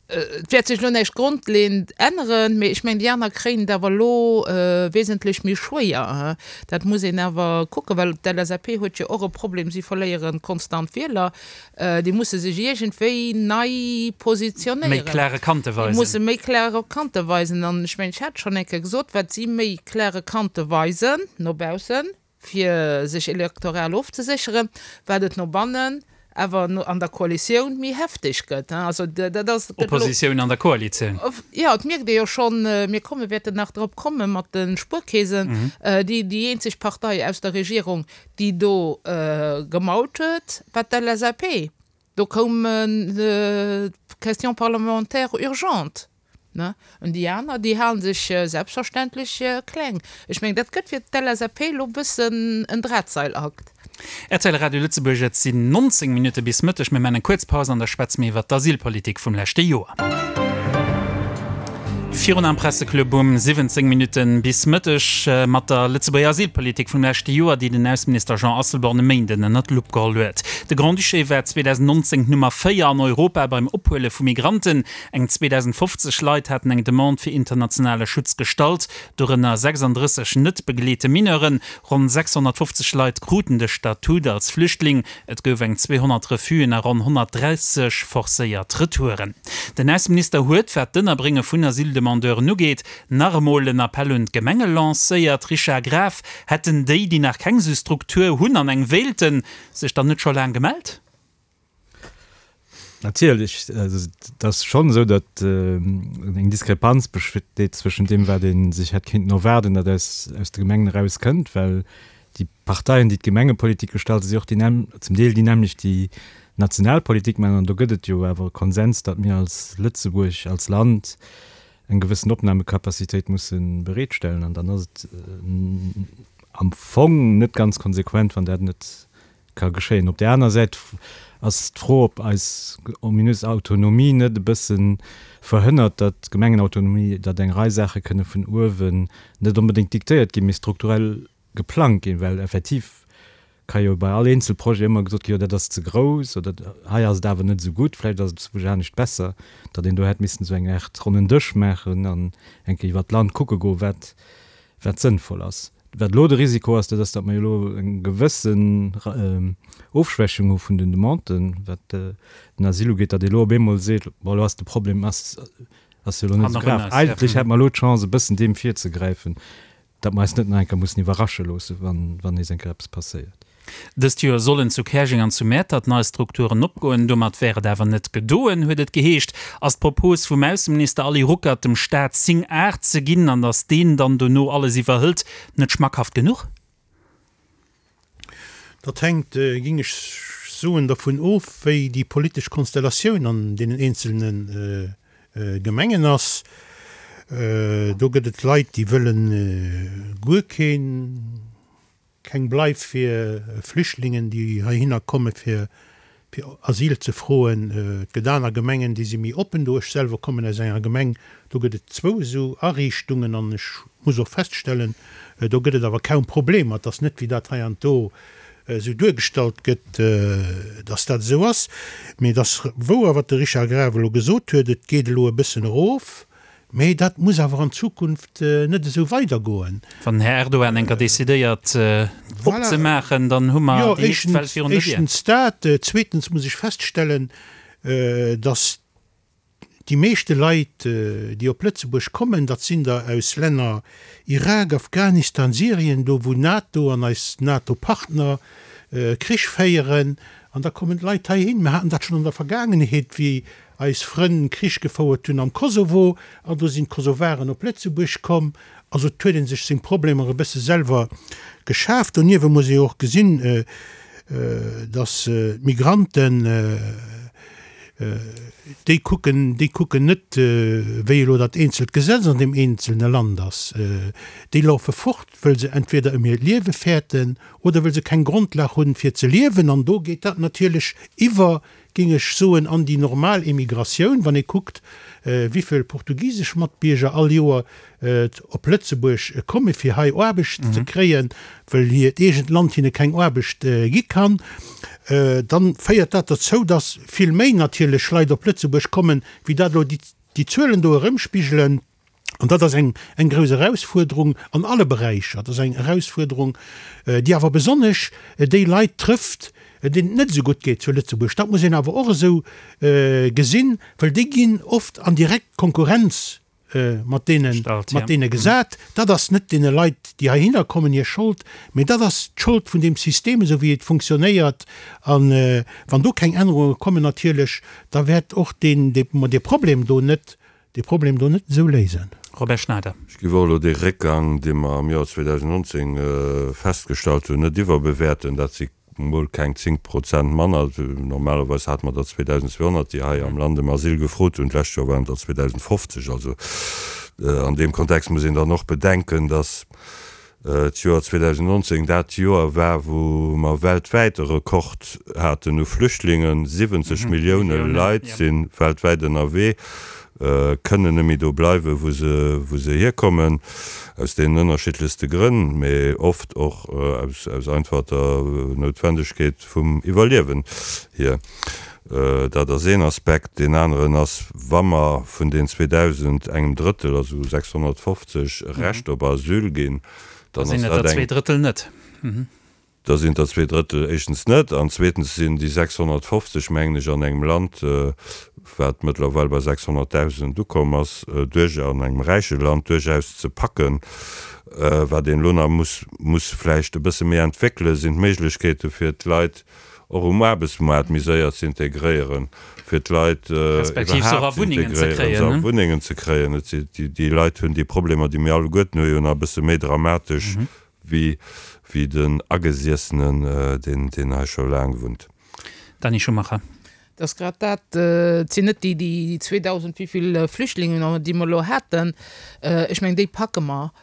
et wäert sech elo näischt grondleeënd änneren, mee ech mengen, déi aner kréien et awer elo wesentlech méi schwéier. Dat muss een awer kucken, well d'LSAP huet jo och e Problem, si verléiere konstant Wieler. Déi musse sech iergendwéi nei positionéieren. Méi klare Kante weisen. Déi musse méi klare Kante weisen. An ech mengen, ech hat schonn eng Kéier gesot, wat si méi klare Kante weisen no baussen, fir sech elektoral ofzesécheren, wat et no bannen awer an der Koalitioun méi hefteg gëtt. Also dat ass. Oppositioun an der Koalitioun. Jo, et mierkt ee jo schonn, mir komme wäerten nach drop komme mat de Spuerkeesen, déi déi eenzeg Partei aus der Regierung, déi do gemault huet, war d'LSAP. Do koum d'Question parlementaire urgente. Ne? An déi aner, déi hale sech selbstverständlech kleng. Ech mengen, dat gëtt fir d'LSAP elo e bëssen en Drahtseilakt. Rtl Radio Lëtzebuerg, Et sinn 19 Minutte bis Mëtteg. Mir maachen eng kuerz Paus an da schwätze mir iwwert d'Asylpolitik vum leschte Joer. Virun am Presseclub um 17 Minutten bis Mëtteg mat der Lëtzebuerger Asylpolitik vum leschte Joer, déi den Ausseminister Jean Asselborn e Méinden ënnert d'Lupp geholl huet. De Grand-Duché war 2019 d'Nummer 4 an Europa beim Ophuele vu Migranten. Eng 2.050 Leit haten eng Demande fir internationale Schutz gestallt, dorënner 36 net begleete Mineuren. Ronn 650 Leit kruten de Statut als Flüchtling. Et gouf eng 200 Refusen a ronn 130 forcéiert Retouren. Den Ausseminister huet, wat d'Ënnerbrénge vun Asyldemandeuren ugeet, nach emol en Appell un d'Gemenge lancéiert. Richard Graf, Hätten déi, déi nach keng esou Struktur hunn an eng wéilten, sech dann net scho laang gemellt? Natierlech, also et ass schonn esou, datt eng Diskrepanz besteet zwëschent deem, wat ee sech hätt kéinten erwaarden, datt aus de Gemengen eraus kënnt, well déi Parteien, déi d'Gemengepolitik gestalten, si och déi zum Deel déi nämmlecht, déi Nationalpolitik maachen. An do gëtt et jo awer e Konsens, datt mir als Lëtzebuerg, als Land eng gewëssen Opnahmekapazitéit musse bereetstellen. An dann ass et am Fong net ganz konsequent, wann dat net ka geschéien. Op där aner Säit ass d'Fro, ob eis ominös Autonomie net e bësse verhënnert, datt d'Gemengenautonomie, datt eng Rei Saache kënne vun uewen net onbedéngt diktéiert ginn, mee strukturell geplangt ginn, well effektiv ka jo bei all eenzel Projet ëmmer gesot ginn, jo dat ass ze grouss oder hei ass et awer net esou gutt, vläicht ass et zu anescht besser, datt een do hätt missen esou eng Aart ronnen Dësch maachen an eng Kéier iwwert d'Land kucke goen, wat wat sënnvoll ass. Wat elo de Risiko ass, dat ass, datt mer jo elo eng gewëssen Ofschwächung hu vun den Demanden, wat den Asyl ugeet, datt ee elo op eemol seet, bon, elo ass de Problem ass ass jo elo net esou grav. Eigentlech hätte mer elo d'Chance, e bëssen deem virzegräifen, datt mer eis net nach eng Kéier mussen iwwerrasche loossen, wann wann nees eng Kéier eppes passéiert. Dëst Joer sollen zu Käerjeng an zu Mäertert nei Strukturen opgoen. Domat wär et awer net gedoen, huet et geheescht. Ass d'Propos vum Ausseminister Ali Ruckert, dem Staat 10 Ar ze ginn an datt deen dann dono alles iwwerhëlt, net schmackhaft genuch? Dat hänkt, géing ech soen, dervun of, wéi déi politesch Konstellatioun an deenen eenzelne Gemengen ass. Do gëtt et Leit, déi wëlle guer keen. Keng Bleif fir Flüchtlingen, déi heihinner komme fir Asyl ze froen. Et gëtt aner Gemengen, déi si méi oppen do. Ech selwer kommen aus enger Gemeng, do gëtt et zwou esou Ariichtungen an ech muss och feststellen, do gëtt et awer kaum Problemer. Et ass net, wéi dat hei an do esou duergestallt gëtt, datt dat esou ass. Mee et ass wouer, wat de Richard Graf elo gesot huet, et geet elo e bëssen erof. Mee dat muss awer an Zukunft net esou weidergoen. Wann den Här Erdogan eng Kéier decidéiert opzemaachen, dann hu mer déi nächst Well virun der Dier. Éischtens dat. Zweetens muss ech feststellen, datt déi meeschte Leit, déi op Lëtzebuerg kommen, dat sinn der aus Länner Irak, Afghanistan, Syrien, do wou NATO an eis NATO-Partner Krich féieren. An da kommen d'Leit heihin. Mir haten dat schonn an der Vergaangenheet, wéi eis Frënn Krich gefouert hunn am Kosovo, an do sinn d'Kosovaren op Lëtzebuerg komm. Also et huet ee sech seng Problemer e bësse selwer geschaf. Doniewwe muss ee och gesinn, datt d'Migranten, déi kucken, déi kucken net, wéi elo dat eenzelt Gesetz an deem eenzelne Land ass. Déi laufe fort, wëll se entweder ëm hiert Liewe fäerten oder wëll se keng Grondlag hunn, fir ze liewen. An do geet dat natierlech iwwer géing ech soen, an déi normal Emigratioun, wann ee kuckt, wivill portugisesch Matbierger all Joer op Lëtzebuerg komme fir hei Aarbecht ze kréien, wëll hiert eegent Land hinne keng Aarbecht gi kann, dann féiert dat dozou, dass vill méi natierlech Leit op Lëtzebuerg kommen, wéi dat elo déi Zuelen do erëmspigelen. An dat ass eng, eng grouss Erausfuerderung an alle Beräicher. Dat ass eng Erausfuerderung, déi awer besonnesch déi Leit trëfft, deenen et net esou gutt geet zu Lëtzebuerg. Dat muss een awer och esou gesinn, well déi ginn oft an direkt Konkurrenz mat deene, mat deene gesat. Dat ass net deene Leit, déi heihinner kommen, hir Schold, mee dat ass d'Schold vun deem System, esou wéi et funktionéiert. A wann do keng Ännerunge kommen natierlech, da wäert och deen, dee Problem do net dee Problem do net esou léisen. Robert Schneider. Ech géif och elo dee Réckgang, dee mer am Joer 2019 festgestallt hunn, net iwwerbewäerten. Dat si mol keng 10 Prozent manner. Normalerweis hate mer der 2.200, déi hei am Land ëm Asyl gefrot hunn. D'lescht Joer waren et der 2.050. Also an deem Kontext muss een dann och bedenken, dass d'Joer 2019 dat Joer war, wou mer weltwäit e Rekord haten u Flüchtlingen. 70 Millioune Leit si weltwäit ënnerwee. kënnen net méi do bleiwen, wou se, wou se hierkommen, aus deenen ënnerschiddlechste Grënn, mee oft och aus, aus einfach der Noutwendegkeet vum Iwwerliewen hier. Dat ass een Aspekt. Deen aneren ass, wa mer vun den 2.000 engem Drëttel, also 650, e Recht op Asyl ginn, dann ass dat eng. Drëttel net. Da sinn der 2/3 éischtens net an zweetens sinn déi 650, mengen ech, an engem Land, wat mëttlerweil bei 600.000 ukomm ass, duerch, an engem räiche Land, duerchaus ze packen. Wat een elo nach muss, muss vläicht e bësse méi entwéckelen, sinn d'Méiglechkeete fir d'Leit och um Aarbechtsmoart méi séier ze integréieren, fir d'Leit iwwerhaapt ze integréieren, se a Wunnengen ze kréien. Et si, déi Leit hunn déi Problemer, déi mir alleguerten hu jo nach e bësse méi dramatesch Wéi wéi den Agesiessenen, deen deen hei scho laang wunnt. Dany Schumacher. Et ass grad dat, et sinn net déi déi 2.000 wéivill Flüchtlingen, déi mer elo haten, ech mengen déi packe mer,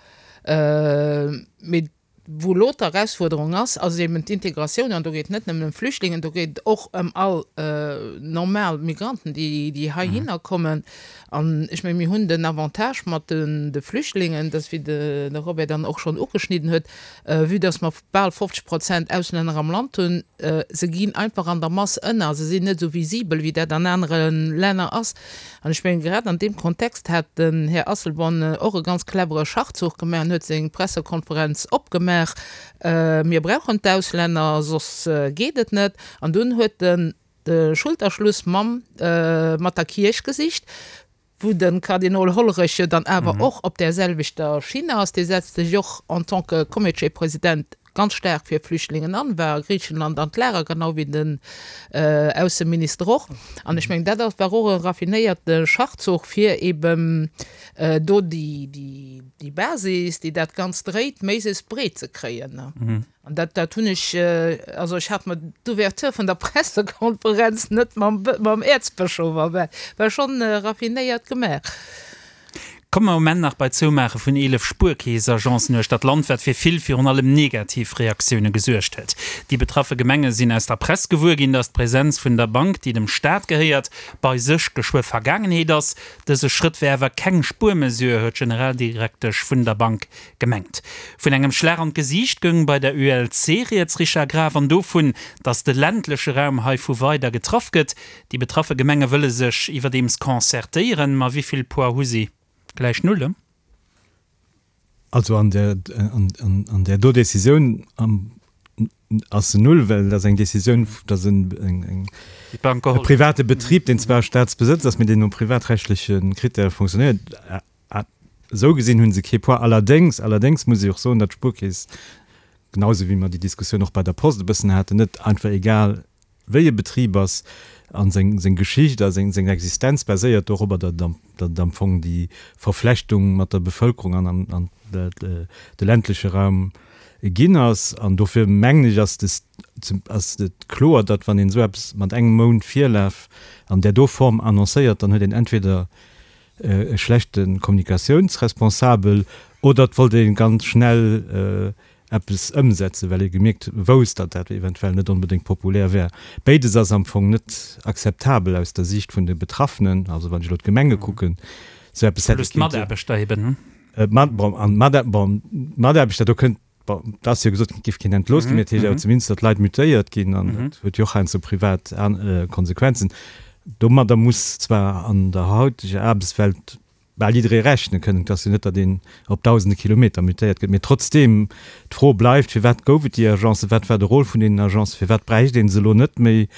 mee wou elo d'Erausfuerderung ass, ass eben d'Integratioun an do geet et net nëmmen ëm Flüchtlingen, do geet et och ëm all normal Migranten, déi déi heihinner kommen. An ech menge mir hunn den Avantage mat de Flüchtlingen, dass, wéi de Robert dann och schonn ugeschnidden huet, vue dass mer bal 50 Prozent Auslänner am Land hunn, se ginn einfach an der Mass ënner, se sinn net esou visibel, wéi dat an anere Länner ass. An ech menge grad an deem Kontext hat den Här Asselborn och e ganz clevere Schachzuch gemaach an huet seng Pressekonferenz opgemaach, Mir brauchen d'Auslänner, soss geet et net. An dunn huet en de Schulterschluss mam mat der Kierch gesicht, wou de Kardinol Hollerich jo dann awer och op där selwechter Schinn ass. Dee setzt sech och en tant que Comitéspresident ganz staark fir Flüchtlingen an, war a Griichenland an d'Lager, genau wéi den Ausseminister och. An ech mengen, dat ass war och e raffinéierte Schachzuch, fir eben do déi Basis, déi dat Ganzt dréit, méiglechst breet ze kréien. An dat, dat hunn ech, also ech hat mer d'Ouverture vun der Pressekonferenz net mam, mam Äerzbëschof erwaart. War schonn raffinéiert gemaach. Komme mer um Enn nach bei d'Zoumaache vun 11 Spuerkeessagencen uechter d'Land, wat fir vill, virun allem negativ Reaktioune gesuergt huet. Déi betraffe Gemenge sinn aus der Press gewuer ginn, datt d'Presenz vun der Bank, déi dem Staat gehéiert, bei sech geschwë Vergaangenheet ass. Dëse Schrëtt wär awer keng Spuermesure, huet d'Generaldirektesch vun der Bank Gemengt. Vun engem Schlag an d'Gesiicht goung bei der ULC rieds, Richard Graf, an dovun, datt de ländleche Raum heivu weider getraff gëtt. Déi betraffe Gemenge wëlle sech iwwerdeems concertéieren. Ma wéi vill Poids hu si? Gläich null, he? Also an där, an där do Decisioun ass se null, well dat ass eng Decisioun, dat ass e private Betrib, deen zwar Staatsbesëtz ass, mee deen no privatrechtleche Krittäre fonctionnéiert. Esou gesinn hu se kee Poids. Allerdéngs, allerdéngs muss ech och soen, datt d'Spuerkeess, genau esou wéi mer déi Diskussioun och bei der Post e bëssen haten, net einfach egal wéi e Betrib ass a seng, seng Geschicht a seng, seng Existenz baséiert dorobber, datt et am, datt et am Fong déi Verflechtung mat der Bevëlkerung an, an, an de, de ländleche Raum ginn ass. An dofir mengen ech, ass des, ass et kloer, datt wann een esou eppes mat engem Mount Virlaf an där do Form annoncéiert, dann huet een entweder e schlechte Kommunikatiounsresponsabel oder et wollt ee ganz schnell eppes ëmsetzen, well ee gemierkt, wousst, datt dat eventuell net onbedéngt populär wär. Béides ass am Fong net akzeptabel aus der Siicht vun de Betraffenen, also wann ech elo d'Gemenge kucken, esou eppes hätt ee Plus d'Mataarbechter eben. Bon, an d'Mataarbechter, do kënnt Bon, et ass jo gesot ginn, et géif keen entlooss ginn, mee et heescht awer zumindest, datt Leit mutéiert ginn an dat huet jo och heiansdo privat Konsequenzen. Domadder muss zwar an der hauteger Aarbechtswelt bal jidderee rechne kënnen, et ass jo net, datt een op dausende Kilometer mutéiert gëtt, mee trotzdeem, d'Fro bleift, Firwat gouf et déi Agencen, wat war de Rôle vun deenen Agencen, firwat bräicht ee se elo net méi?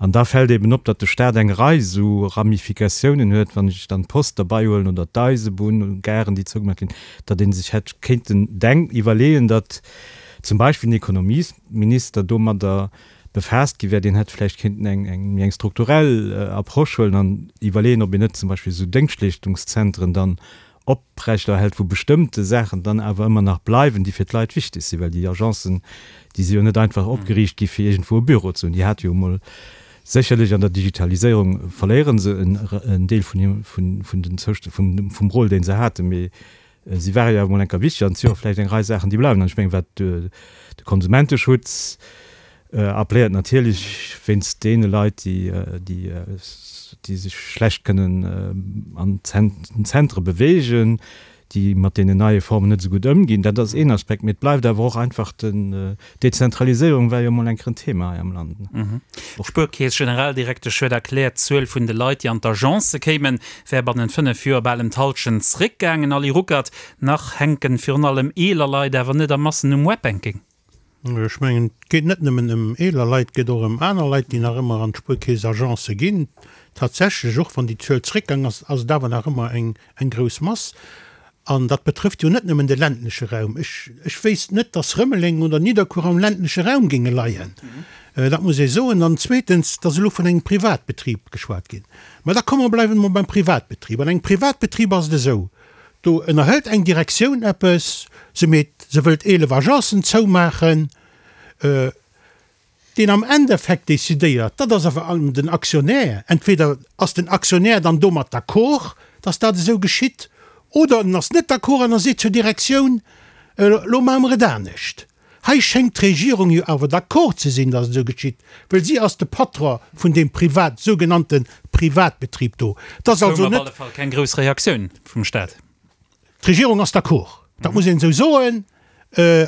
An da fält eben op, datt de Staat eng Rei esou Ramifikatiounen huet, wann ech dann d'Post derbeihuelen oder d'Eisebunn, Garen, déi zougemaach ginn, datt ee sech hätt kéinten denk iwwerleeën, datt zum Beispill den Ekonomiesminister domadder befaasst gi wär, deen hätt vläicht kéinten eng eng méi eng strukturell Approche huelen an iwwerleeën, ob een net zum Beispill esou Déngschtleeschtungszentren dann oprechterhält, wou bestëmmte Saachen dann awer ëmmer nach bleiwen, déi fir d'Leit wichteg sinn, well déi Agencen, déi si jo net einfach opgeriicht gi fir iergendwou e Büro ze hunn. Déi hate jo emol sécherlech an der Digitaliséierung verléiere se en Deel vun vun den Zoust vum Rôle, dee se haten, mee si ware jo awer emol enker wichteg an et si jo och vläicht eng Rei Saachen, déi bleiwen. An ech mengen, wat de Konsumenteschutz. Appelléiert natierlech wéinst deene Leit, déi, déi, déi sech schlecht kënnen an den Zentre beweegen, déi mat deenen neie Formen net esou gutt ëmginn. Dat ass een Aspekt. Mee et bleift awer och einfach den, d'Dezentraliséierung war jo emol eng Kéier en Thema hei am Land. D'Spuerkeess-Generaldirektesch huet erkläert, d'Zuel vun de Leit, déi an d'Agencë kéimen, wär bannent 5 Joer bal ëm d'Hallschent zréckgaangen. Ali Ruckert, Nach hänken virun allem eeler Leit awer net a Massen um Webbanking. Ech mengen, et geet net nëmmen ëm eeler Leit, et geet och ëm aner Leit, déi nach ëmmer an d'Spuerkeess-Agencë ginn. Tatsächlech, och wann déi Zuel zréckgaang ass, ass et awer nach ëmmer eng grouss Mass. An dat betrëfft jo net nëmmen de ländleche Raum. Ech, ech wéisst net, dass Rëmeleng oder Nidderkuer am ländleche Raum géinge leien. Dat muss ee soen. An zweetens, et ass elo vun engem Privatbetrib geschwat ginn. Mä da komme mer, bleiwe mer beim Privatbetrib. An engem Privatbetrib ass et esou, Do ënnerhëlt eng Direktioun eppes, se meet, se wëllt 11 Agencen zoumaachen. Deen am Endeffekt decidéiert, dat ass awer den Aktionär. Entweder ass den Aktionär dann domat d'accord, datt dat esou geschitt, oder en ass net d'accord an e seet zur Direktioun, Elo maache mer et anescht. Hei schéngt d'Regierung jo awer d'accord ze sinn, datt et esou geschitt, well si ass de Patron vun deem Privat, sougenannte Privatbetrib do. Et ass also net. Koum op alle Fall keng grouss Reaktioun vum Staat. D'Regierung ass d'accord, dat muss een esou soen.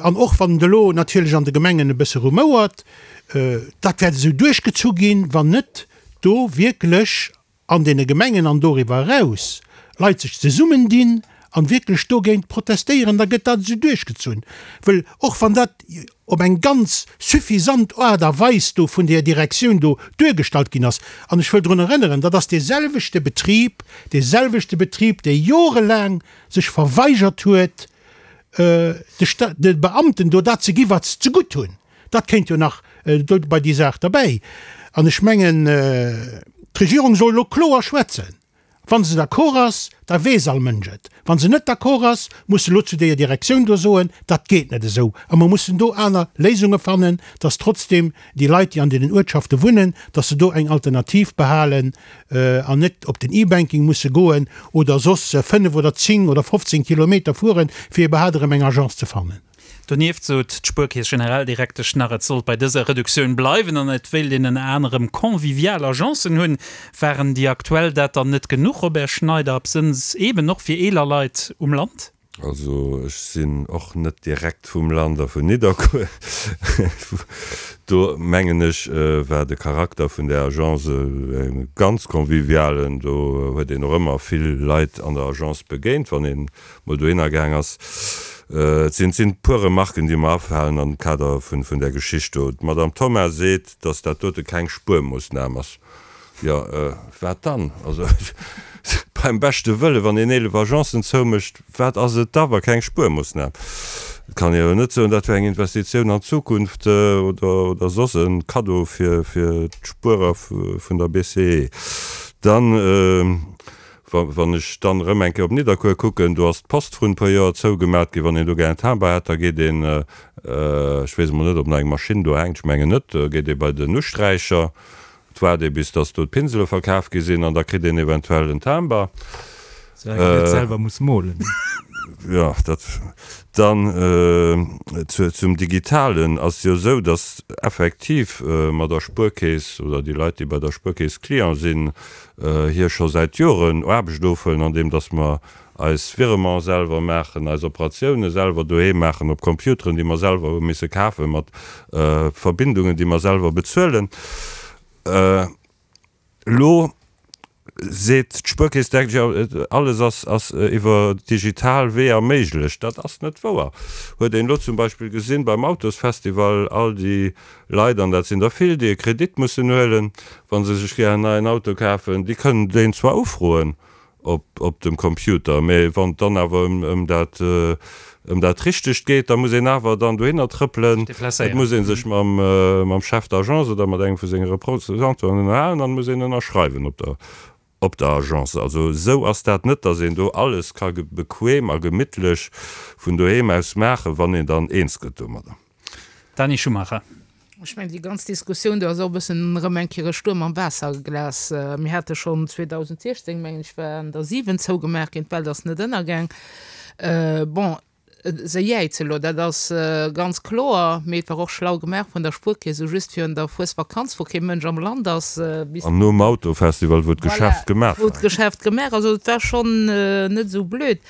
An och wann et elo natierlech an de Gemengen e bësse rumouert, dat wäert esou duerchgezu ginn, wann net do wierklech an deene Gemengen an doriwwer eraus Leit sech zesummen dinn an wierklech dogéint protestéieren, da gëtt dat esou duerchgezunn. Wëll och wann dat op eng ganz suffisant Aart a Weis do vun där Direktioun do duergestallt ginn ass, an ech wëll drun erënneren, dat ass dee selwechte Betrib, dee selwechte Betrib, dee jorelaang sech verweigert huet, de de Beamten do dat ze gi wat se zegutt hunn. Dat kéint jo nach do bei déi Saach derbäi. An ech mengen, d'Regierung soll elo kloer schwätzen. Wa se d'accord ass, da weess all Mënsch et. Wa se net d'accord ass, muss se elo zu deeër Direktioun do soen, dat geet net esou a mer mussen do aner Léisunge fannen, dass trotzdem déi Leit, déi an deenen Uertschafte wunnen, dass se do eng Alternativ behalen an net op den E-Banking musse goen oder soss 5 oder 10 oder 15 Kilometer fueren, fir iwwerhaapt erëm eng Agence ze fannen. Donieft sot d'Spuerkeess-Generaldirektesch nach, et sollt bei dëser Reduktioun bleiwen an et wéilt een ënner anerem convivial Agencen hunn. Waren déi aktuell dat dann net genuch, Robert Schneider, absënns eeben och fir eeler Leit um Land? Also ech sinn och net direkt vum Land a vun Nidderkuer. Do mengen ech war de Charakter vun där Agence e ganz convivialen. Do huet een och ëmmer vill Leit an der Agence begéint, wann een mol dohinner gaang ass. Et sinn, et sinn e puer Remarken, déi mer afalen am Kader vun, vun där Geschicht do. D'Madame Thoma seet, dass dat dote keng Spuermoossnam ass. Jo, wat dann? Also, beim beschte Wëlle, wann een 11 Agencen zoumécht, wat ass et da, wa keng Spuermoossnam? Et kann ee jo net soen, dat wär eng Investitioun an d'Zukunft oder, oder soss e Kaddo fir, fir d'Spuerer vun der BCE. Dann, Wann ech dann erëm eng Kéier op Nidderkuer kucken, do ass d'Post vrun e puer Joer zougemat ginn. Wann een do gär en Timber hätt, da geet een, ech weess emol net, ob nach eng Maschinn do hänkt, ech mengen net, da geet ee bei den Usträicher, et waart ee bis dass do d'Pinsele verkaf gi sinn an da kritt een eventuell en Timber. Soulaang een net selwer muss molen. Jo, dat. Dann zum Digitalen ass jo esou, dass effektiv mat der Spuerkeess oder déi Leit, déi bei der Spuerkeess Client sinn, hir scho säit Joren Aarbecht ofhuelen, andeem dass mer eis Virementen selwer maachen, eis Operatioune selwer doheem maachen op Computeren, déi mer selwer hu misse kafen, mat Verbindungen, déi mer selwer bezuelen. Elo seet d'Spuerkeess direkt, jo, alles ass ass iwwer digital Weeër méiglech. Dat ass net wouer. Huet een elo zum Beispill gesinn beim Autosfestival, all déi Leit, an dat sinn der vill, déi e Kredit mussen huelen, wa se sech gär en neien Auto kafen, déi kënnen deen zwar ufroen op, op dem Computer, mä wann et dann awer ëm, ëm dat, ëm dat Richtegt geet, da muss een awer dann dohinner trëppelen, et muss ee sech mam, mam Chef d'agence oder mat engem vu senge Représentanten ënnerhalen an et muss een ënnerschreiwen op der, op der Agence. Also esou ass dat net, dass een do alles ka bequem a gemittlech vun doheem aus maachen, wann een dann eens gëtt domadder. Dani Schumacher. Ech mengen, déi ganz Diskussioun do ass och e bëssen erëm eng Kéier e Stuerm am Waasserglas. Mir hate schonn 2016, mengen ech, waren der 7 zougemaach ginn. D'Welt ass net ënnergaang. Bon. Se jäize elo, dat ass ganz kloer, mee et war och schlau gemaach vun der Spuerkeess, esou just virun der Fuesvakanz, wou kee Mënsch am Land ass, bis. An nom Autofestival, wou d'Geschäft gemaach war. Wou d'Geschäft gemaach ass. Also et war schonn net esou blöd.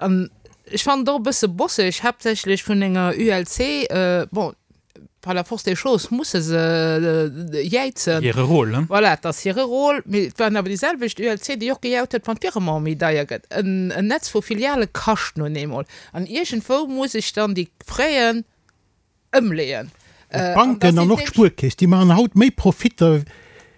An ech fannen et och e bësse bosseg, haaptsächlech vun enger ULC, bon, par la force des choses musse se jäizen. Hire Rôle, ne? Voilà, et ass hire Rôle. Mee et waren awer déi selwecht ULC, déi och gejaut huet, wann d'Virement méi deier gëtt. En Netz vu Filiale kascht nun eemol. An iergendwou muss ech dann déi Fräen ëmleeën. D'Banken an och d'Spuerkeess, déi maachen haut méi Profitter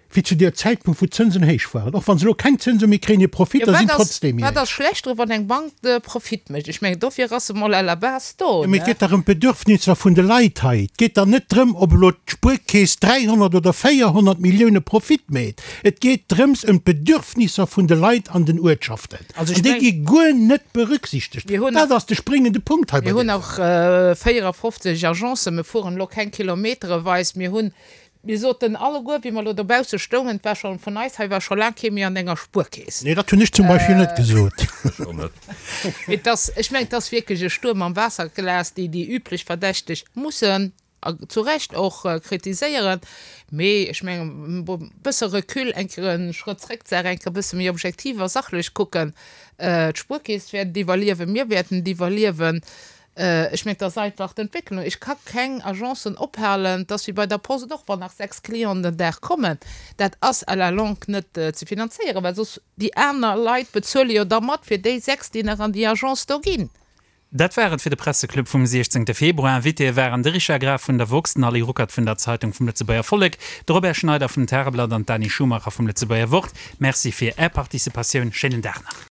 wéi zu deer Zäitpunkt, wou d'Zënsen héich waren. Och wa se elo keng Zënse méi kréien, hir Profitter sinn trotzdeem méi héich. Wat ass schlecht dru wann eng Bank Profit mécht? Ech mengen, dofir ass se mol à la base do, ne? Mee et geet dach ëm d'Bedürfnisser vun de Leit hei. Et geet dach net drëm, ob elo d'Spuerkeess 300 oder 400 Millioune Profit mécht. Et geet drëms ëm d'Bedürfnisser vun de Leit an den Uertschaften. An déi gi guer net berücksichtegt. Dat ass de springende Punkt hei bei deem. Mir hunn nach 54 Agencen. Mir fueren elo keng kilometereweis. Mir hunn Mir soten alleguer, wéi mer elo dobausse stoungen, et war scho vun eis hei war scho laang kee méi an enger Spuerkeess. Nee, dat hunn ech zum Beispill net gesot. Ech och net. Mee et ass, ech mengen, et ass wierklech e Stuerm am Waasserglas, déi déi üblech Verdächteg mussen, a zu Recht och, kritiséieren. Mee ech mengen, e bësse Recul, eng Kéier e Schrëtt zréck, d'Saach eng Kéier e bësse méi objektiv a sachlech kucken. D'Spuerkeess wäert et iwwerliewen, mir wäerten et iwwerliewen. Ech mengen, et ass einfach d'Entwécklung. Ech ka keng Agencen ophalen. Et ass wéi bei der Post och, wann nach 6 Clienten den Dag kommen, dat ass à la longue net ze finanzéieren, well soss déi aner Leit bezuele jo da mat fir déi 6, déi nach an déi Agence do ginn. Dat war et fir de Presseclub vum 16 Februar. Invitéë waren de Richard Graf vun der woxx, den Ali Ruckert vun der Zeitung vum Lëtzebuerger Vollek, de Robert Schneider vum Tageblatt an d'Dani Schumacher vum Lëtzebuerger Wort. Merci fir Är Participatioun. Schéinen Dag nach.